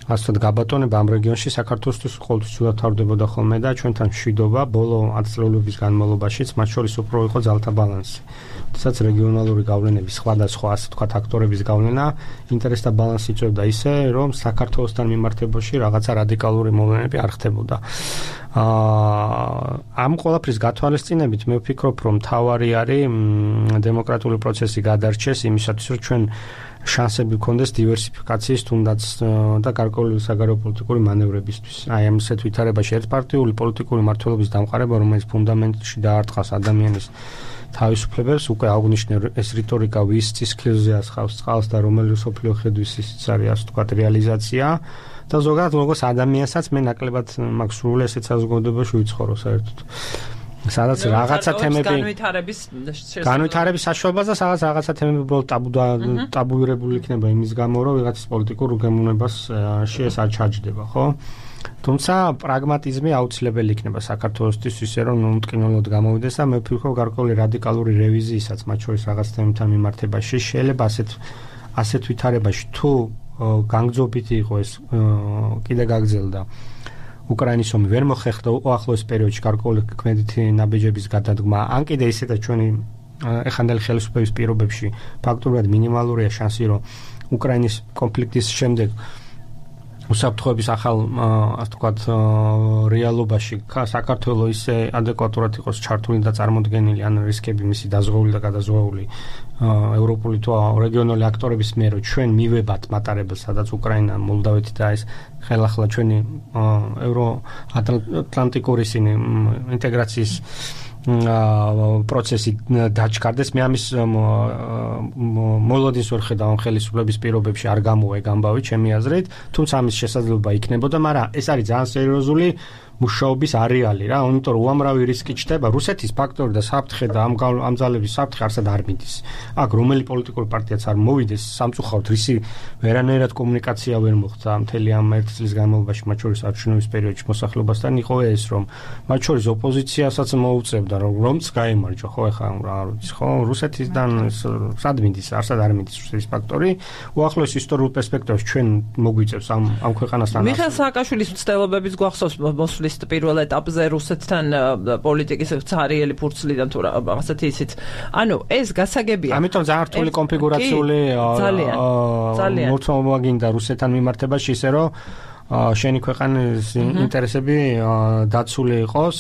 ასე ვთქვათ გაბატონება ამ რეგიონში საქართველოსთვის ყოველთვის ცუდად თავდებოდა ხოლმე და ჩვენთან მშვიდობა ბოლო 10 წლების განმავლობაშიც მათ შორის უფრო იყო ძალთა ბალანსი. თუმცა რეგიონალური გავლენების სხვადასხვა ასე ვთქვათ აქტორების გავლენა ინტერესთა ბალანსი იწვევდა ისე, რომ საქართველოსთან მიმართებაში რაღაცა რადიკალური მოვლენები არ ხდებოდა. ამ ყველაფრის გათვალისწინებით მე ვფიქრობ, რომ თავარი არის დემოკრატიული პროცესი გადარჩეს იმისათვის, რომ ჩვენ შანსები გქონდეს დივერსიფიკაციის თუნდაც და გარკვეული საგარეო პოლიტიკური მანევრებისთვის. აი ამ ასეთ ვითარებაში ერთპარტიული პოლიტიკური მმართველობის დამყარება, რომელიც ფუნდამენტში დაარტყას ადამიანის თავისუფლებებს, უკვე აღნიშნე ეს რიტორიკა ვის ცისქილზე ასხავს წყალს და რომელი სოფლიო ხედვის ისიც არის ასე ვთქვათ რეალიზაცია და ზოგადად როგორც ადამიანსაც მე ნაკლებად მაქვს სრული ესეც საზოგადოებაში ვიცხოვრო საერთოდ. სადაც რაღაცა თემები განვითარების საშუალებაზე სადაც რაღაცა თემები უბრალოდ ტაბუირებული იქნება იმის გამო, რომ ვიღაცის პოლიტიკურ უგემოვნებას ეს არ ჩაჯდება, ხო? თუმცა პრაგმატიზმი აუცილებელი იქნება საქართველოსთვის ისე, რომ მტკივნეულად გამოვიდეს და მე ვფიქრობ გარკვეული რადიკალური რევიზიისაც მათ შორის რაღაც თემებთან მიმართებაში შეიძლება ასეთ ვითარებაში თუ განგრძობითი იყო ეს კიდე გაგრძელდა უკრაინის ომი ვერ მოხერხდა უახლოეს პერიოდში გარკვეული ქმედითი ნაბიჯების გადადგმა, ან კიდე ისედაც ჩვენი ეხანდელი ხელისუფლების პირობებში ფაქტობრივად მინიმალურია შანსი, რომ უკრაინის კონფლიქტის შემდეგ უსაფრთხოების ახალ ასე ვთქვათ რეალობაში საქართველოს ისე ადეკვატურად იყოს ჩართული და წარმოდგენილი ან რისკები მისი დაზღვეული და გადაზღვეული ევროპული თუ რეგიონული აქტორების მიერ, რომ ჩვენ მივებათ მატარებელს, სადაც უკრაინა, მოლდავეთი და ეს ხელახლა ჩვენი ევროატლანტიკური ინტეგრაციის პროცესი დაჩქარდეს. მე ამის მოლოდინს ვერ ხედავ ამ ხელისუფლების პირობებში არ გამოვე გამბავი ჩემი აზრით, თუმცა ამის შესაძლებლობა იქნებოდა, მაგრამ ეს არის ძალიან სერიოზული მუშაობის არეალი რა, იმიტომ რომ უამრავი რისკი ჩნდება. რუსეთის ფაქტორი და საფრთხე და ამ ძალების საფრთხე არსად არ მიდის. აქ რომელი პოლიტიკური პარტიაც არ მოვიდეს, სამწუხაროდ რისი ვერანაირად კომუნიკაცია ვერ მოხდა მთელი ამ 1 წლის განმავლობაში, მათ შორის არჩევნების პერიოდში მოსახლეობასთან იყო ეს, რომ მათ შორის ოპოზიციასაც მოუწევდა, რომც გაემარჯვა, ხო, ეხლა რა ვიცი, ხო, რუსეთისგან სად მიდის, არსად არ მიდის რუსეთის ფაქტორი. უახლოეს ისტორიულ პერსპექტივაში ჩვენ მოგვიწევს ამ ქვეყანასთან. მიხეილ სააკაშვილის მცდელობების გვახსოვს მოსვლის პირველ ეტაპზე რუსეთთან პოლიტიკის ცარიელი ფურცლიდან თუ რაღაცეთი ისიც. ანუ ეს გასაგებია. ამიტომ ძალიან რთული კონფიგურაციული მოწმობა გინდა რუსეთთან მიმართებაში, ისე რომ შენი ქვეყანის ინტერესები დაცული იყოს.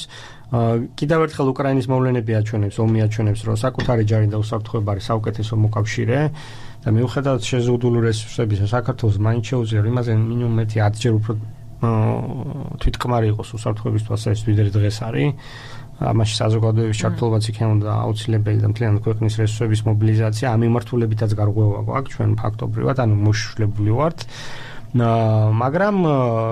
კიდევ ერთხელ უკრაინის მოვლენები აჩვენებს, ომი აჩვენებს, რომ საკუთარი ჯარი და უსაფრთხოება არის საუკეთესო მოკავშირე და მიუხედავად შეზღუდული რესურსებისა, საქართველოს მაინც შეუძლია იმაზე მინიმუმ 10-ჯერ უფრო თვითკმარი იყოს უსაფრთხოების თვალსაზრისით, ვიდრე დღეს არის. ამაში საზოგადოების ჩართულობაც იქნებოდა აუცილებელი და მთლიანი ქვეყნის რესურსების მობილიზაცია. ამ მიმართულებითაც გარღვევა გვაქვს ჩვენ ფაქტობრივად, ანუ მოშლებული ვართ. მაგრამ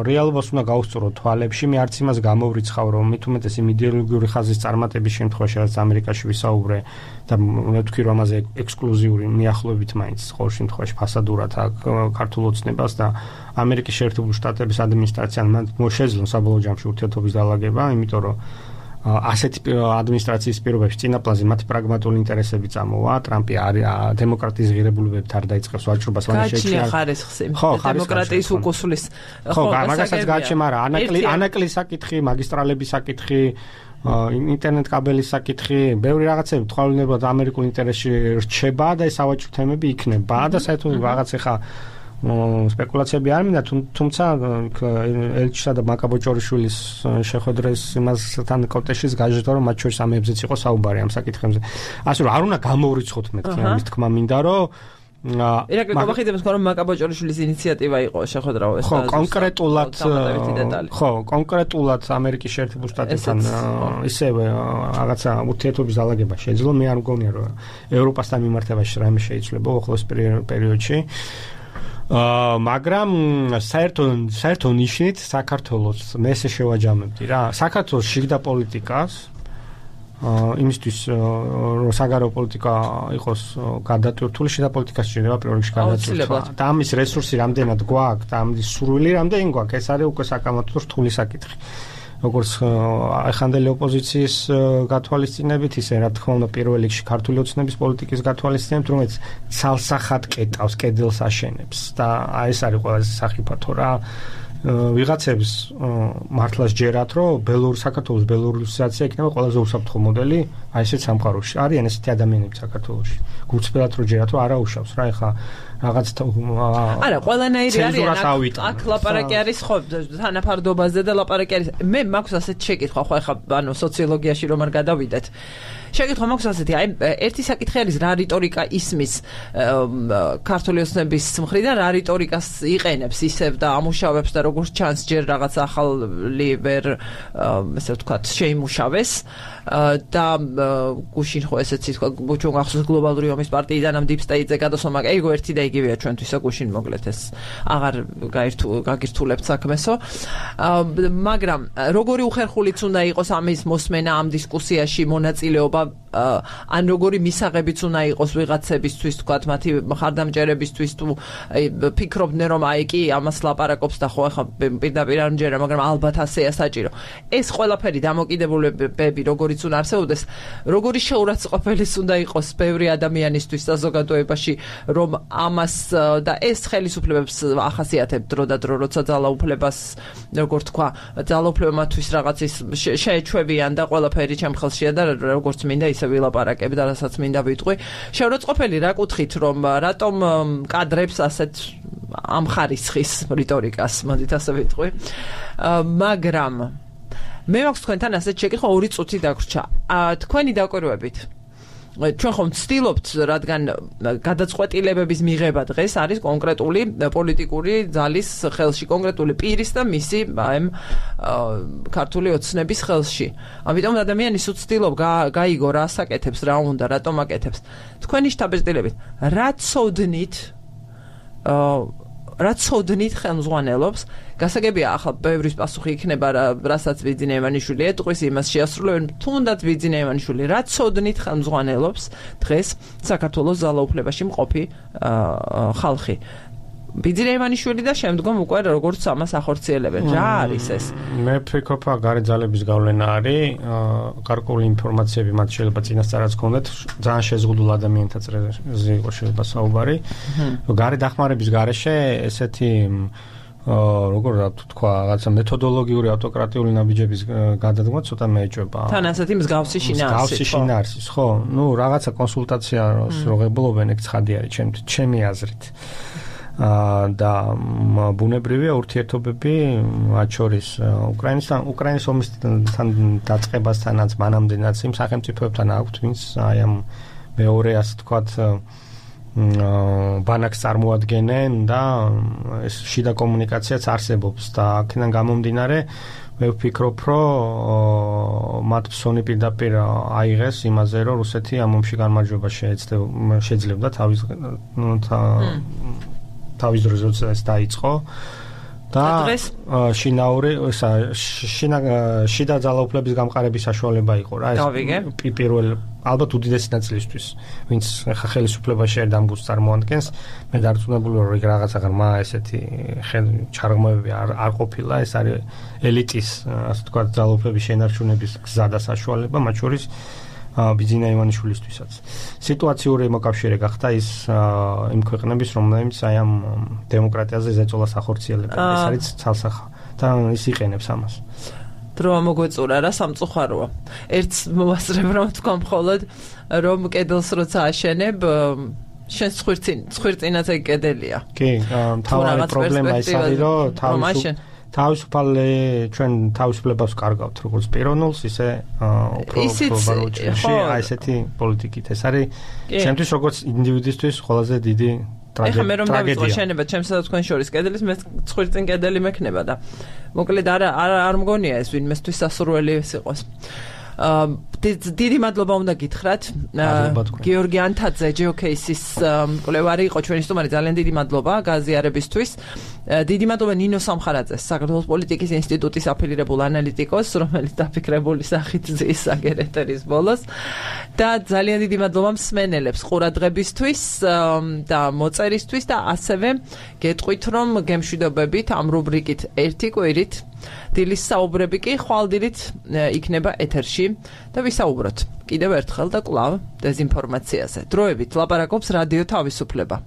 რეალობას უნდა გავუსწოროთ თვალებში. მე არც იმას გამოვრიცხავ, რომ მით უმეტეს იმ იდეოლოგიური ხაზის წარმატების შემთხვევაში, რაც ამერიკაში ვისაუბრე და უნდა თქვი, რომ ამაზე ექსკლუზიური მიახლოებით მაინც ყოველ შემთხვევაში ფასადურად აქვს ქართულ ოცნებას და ამერიკის შეერთებული შტატების ადმინისტრაციამ მოშეძლო საბოლოო ჯამში ურთიერთობის დალაგება, იმიტომ რომ ასეთი ადმინისტრაციის პირობებში წინაპლაზე მათი პრაგმატული ინტერესები წამოვა. ტრამპი დემოკრატიის ღირებულებებით არ დაიწყებს ვაჭრობას, გაჩნია ხარისხი დემოკრატიის უკუსლის. ხო, მაგასაც გაჩნია, მაგრამ ანაკლის საკითხი, მაგისტრალების საკითხი, ინტერნეტ კაბელის საკითხი, ბევრი რაღაცები თვალინებად ამერიკულ ინტერესში რჩება და ეს სავაჭრო თემები იქნება და საერთოდ რაღაც ახლა სპეკულაციები არ მინდა, თუმცა ელჩისა და მაკაბოჭორიშვილის შეხვედრის იმასთან კონტექსტში გაჟღერდა, რომ მათ შორის ამებზეც იყო საუბარი ამ საკითხებზე. ასე რომ არ უნდა გამოვრიცხოთ მეთქი ამის თქმა მინდა, რომ ირაკლი გომახიდებს რომ მაკაბოჭორიშვილის ინიციატივა იყო შეხვედრა ეს ხო, კონკრეტულად ამერიკის შეერთებულ შტატებთან ისევე რაღაცა ურთიერთობის დალაგება შეძლო. მე არ მგონია, რომ ევროპასთან მიმართებაში რაიმე შეიძლება ახლოს პერიოდში. მაგრამ საერთო ნიშნით საქართველოს მე ესე შევაჯამებდი რა. საქართველოს შიგდა პოლიტიკას იმისთვის რომ საგარეო პოლიტიკა იყოს გადატვირთული, შიდა პოლიტიკას შეიძლება პირველ რიგში გადაწყვეტა. და ამის რესურსი რამდენად გვაქვს და ამის სურვილი რამდენი გვაქვს, ეს არის უკვე საკამათო რთული საკითხი. როგორც ახანდელი ოპოზიციის გათვალისწინებით, ისე რა თქმა უნდა პირველ რიგში ქართული ოცნების პოლიტიკის გათვალისწინებით, რომელიც ცალსახად კეტავს, კედელს აშენებს და ეს არის ყველაზე სახიფათო რა. ვიღაცებს მართლაც ჯერათ, რომ საქართველოს ბელორუსიზაცია იქნება ყველაზე უსაფრთხო მოდელი, აი ესეც სამყაროში. არიან ესეთი ადამიანები საქართველოში. გულწრფელად რომ ჯერათ, რომ არა უშავს რა, ეხა რაღაც არა, ყველანაირი არის. აქ ლაპარაკი არის ხო თანაფარდობაზე და ლაპარაკი არის. მე მაქვს ასეთ შეკითხვა, ხო ეხა ანუ სოციოლოგიაში რომ არ გადავიდეთ. შეკითხვა მაქვს ასეთი, აი ერთი საკითხი არის რა რიტორიკა ისმის ქართული ოცნების მხრიდან, რა რიტორიკას იყენებს ისევ და ამუშავებს და როგორც ჩანს ჯერ რაღაც ახალი ვერ ესე ვთქვათ შეიმუშავეს და გუშინ ხო ესეც თქვა ჩვენ გახსოვს გლობალური ომის პარტიიდან ამ დიპ სტეიტზე გადასვლა, ეგო ერთი და იგივეა ჩვენთვისა გუშინ მოკლედ ეს აღარ გაგირთულებთ საქმესო. მაგრამ როგორი უხერხულიც უნდა იყოს ამის მოსმენა ამ დისკუსიაში, მონაწილეობა ან როგორი მისაღებიც უნდა იყოს ვიღაცებისთვის, თქვათ მათი მხარდამჭერებისთვის თუ ფიქრობდნენ რომ აი კი ამას ლაპარაკობს და ხო ახლა პირდაპირ არ მჯერა, მაგრამ ალბათ ასეა საჭირო. ეს ყველაფერი დამოკიდებულებები როგორიც უნდა არსებობდეს, როგორი შეურაცხყოფელის უნდა იყოს ბევრი ადამიანისთვის საზოგადოებაში, რომ ამას და ეს ხელისუფლებებს ახასიათებთ დრო და დრო, როცა ძალაუფლებას, როგორ თქვა, ძალაუფლებამათვის რაღაცის შეეჩვევიან და ყველაფერი ჩემ ხელშია და როგორც მინდა ისე ვილაპარაკებ და რასაც მინდა ვიტყვი. შეურაცხყოფელი რა კუთხით, რომ რატომ კადრებს ასეთ ამ ხარისხის რიტორიკას, მოდით ასე ვიტყვი. მაგრამ მე მაქვს თქვენთან ასეთ შეკითხვა 2 წუთი დაგვრჩა. თქვენი დაკვირვებით ჩვენ ხომ ვცდილობთ, რადგან გადაწყვეტილებების მიღება დღეს არის კონკრეტული პოლიტიკური ძალის ხელში, კონკრეტული პირის და მისი ქართული ოცნების ხელში. ამიტომ ადამიანის უცდილობ გაიგო რა საკეთებს, რა უნდა, რატომ აკეთებს. თქვენი შტაბ-ბიძილებით რა ცოდნით ხელმძღვანელობს, გასაგებია ახლა ბევრის პასუხი იქნება, რასაც ვიძინე ივანიშვილი ეტყვის, იმას შეასრულებენ, თუნდაც ვიძინე ივანიშვილი, რა ცოდნით ხელმძღვანელობს დღეს საქართველოს ძალაუფლებაში მყოფი ხალხი. ვიძინე ივანიშვილი და შემდგომ უკვე როგორც ამას ახორციელებენ. რა არის ეს? მე ვფიქრობ, გარე ძალების გავლენა არის, გარკვეული ინფორმაციები მათ შეიძლება წინასწარაც გქონდეთ, ძალიან შეზღუდულ ადამიანთა წრეზე იყო შეიძლება საუბარი. გარე დახმარების გარეშე ესეთი როგორ თქვა, რაღაცა მეთოდოლოგიური ავტოკრატიული ნაბიჯების გადადგმა ცოტა მეეჭვება. თან ასეთი მსგავსი შინაარსის, ხო. ნუ რაღაცა კონსულტაციას როღებულობენ, ეგ ცხადი არის ჩემი აზრით. და ბუნებრივია ურთიერთობები მათ შორის უკრაინის ომისთან დაწყებასთანაც მანამდენაც იმ სახელმწიფოებთან აქვთ, ვინც აი ამ მეორე ასე ვთქვათ ბანაკს წარმოადგენენ და ეს შიდა კომუნიკაციაც არსებობს და აქედან გამომდინარე მე ვფიქრობ, რომ მათ ფსონი პირდაპირ აიღეს იმაზე, რომ რუსეთი ამ ომში გამარჯვება შეძლებდა თავის დროზე ეს დაიწყო და შიდა ძალაუფლების გამყარების საშუალება იყო რა ეს პირველ ალბათ უდიდესი ნაწილისთვის ვინც ხა ხელისუფლებაში ერთ ამბულს წარმოადგენს მე დარწმუნებული ვარ რომ რაღაცა ღრმა ესეთი ჩარღმავები არ ყოფილა ეს არის ელიტის ასე ვთქვათ ძალაუფლების შენარჩუნების გზა და საშუალება მათ შორის ბიძინა ივანიშვილისთვისაც სიტუაციური მოკავშირე გახდა ის იმ ქვეყნების რომელთაც აი ამ დემოკრატიაზე ზეწოლას ახორციელებენ ეს არის ცალსახა და ის იყენებს ამას დრო მოგვეწურა რა სამწუხაროა ერთ მოასწრებ რომ თქვა მხოლოდ რომ კედელს როცა აშენებ შენ ცხვირწინაც ეგ კედელია კი თავარი პრობლემა ის არის რომ თავისუფალი ჩვენ თავისუფლებას კარგავთ როგორც პიროვნულს ისე უფრო ბაროჩში აი ესეთი პოლიტიკით ეს არის ჩემთვის როგორც ინდივიდისთვის ყველაზე დიდი ტრაგედია. ეხლა მე რომ დავიწყო შენება ჩემსა და თქვენ შორის კედლის მე ცხვირწინ კედელი მექნება და მოკლედ არ მგონია ეს ვინმესთვის სასურველი ეს იყოს. დიდი მადლობა უნდა გითხრათ გიორგი ანთაძე ჯეოკეისის კვლევარი იყო ჩვენი სტუმარი ძალიან დიდი მადლობა გაზიარებისთვის დიდი მადლობა ნინო სამხარაძეს საქართველოს პოლიტიკის ინსტიტუტის აფილირებულ ანალიტიკოს რომელიც დაფიქრებული სახით ზის აგერეტერის ბოლოს და ძალიან დიდი მადლობა მსმენელებს ყურადღებისთვის და მოწერისთვის და ასევე გეტყვით რომ გემშვიდობებით ამ რუბრიკით ერთი კვირით დილის საუბრები კი ხვალდილით იქნება ეთერში და ვისაუბროთ კიდევ ერთხელ და კვლავ დეზინფორმაციაზე. დროებით ლაპარაკობს რადიო თავისუფლება.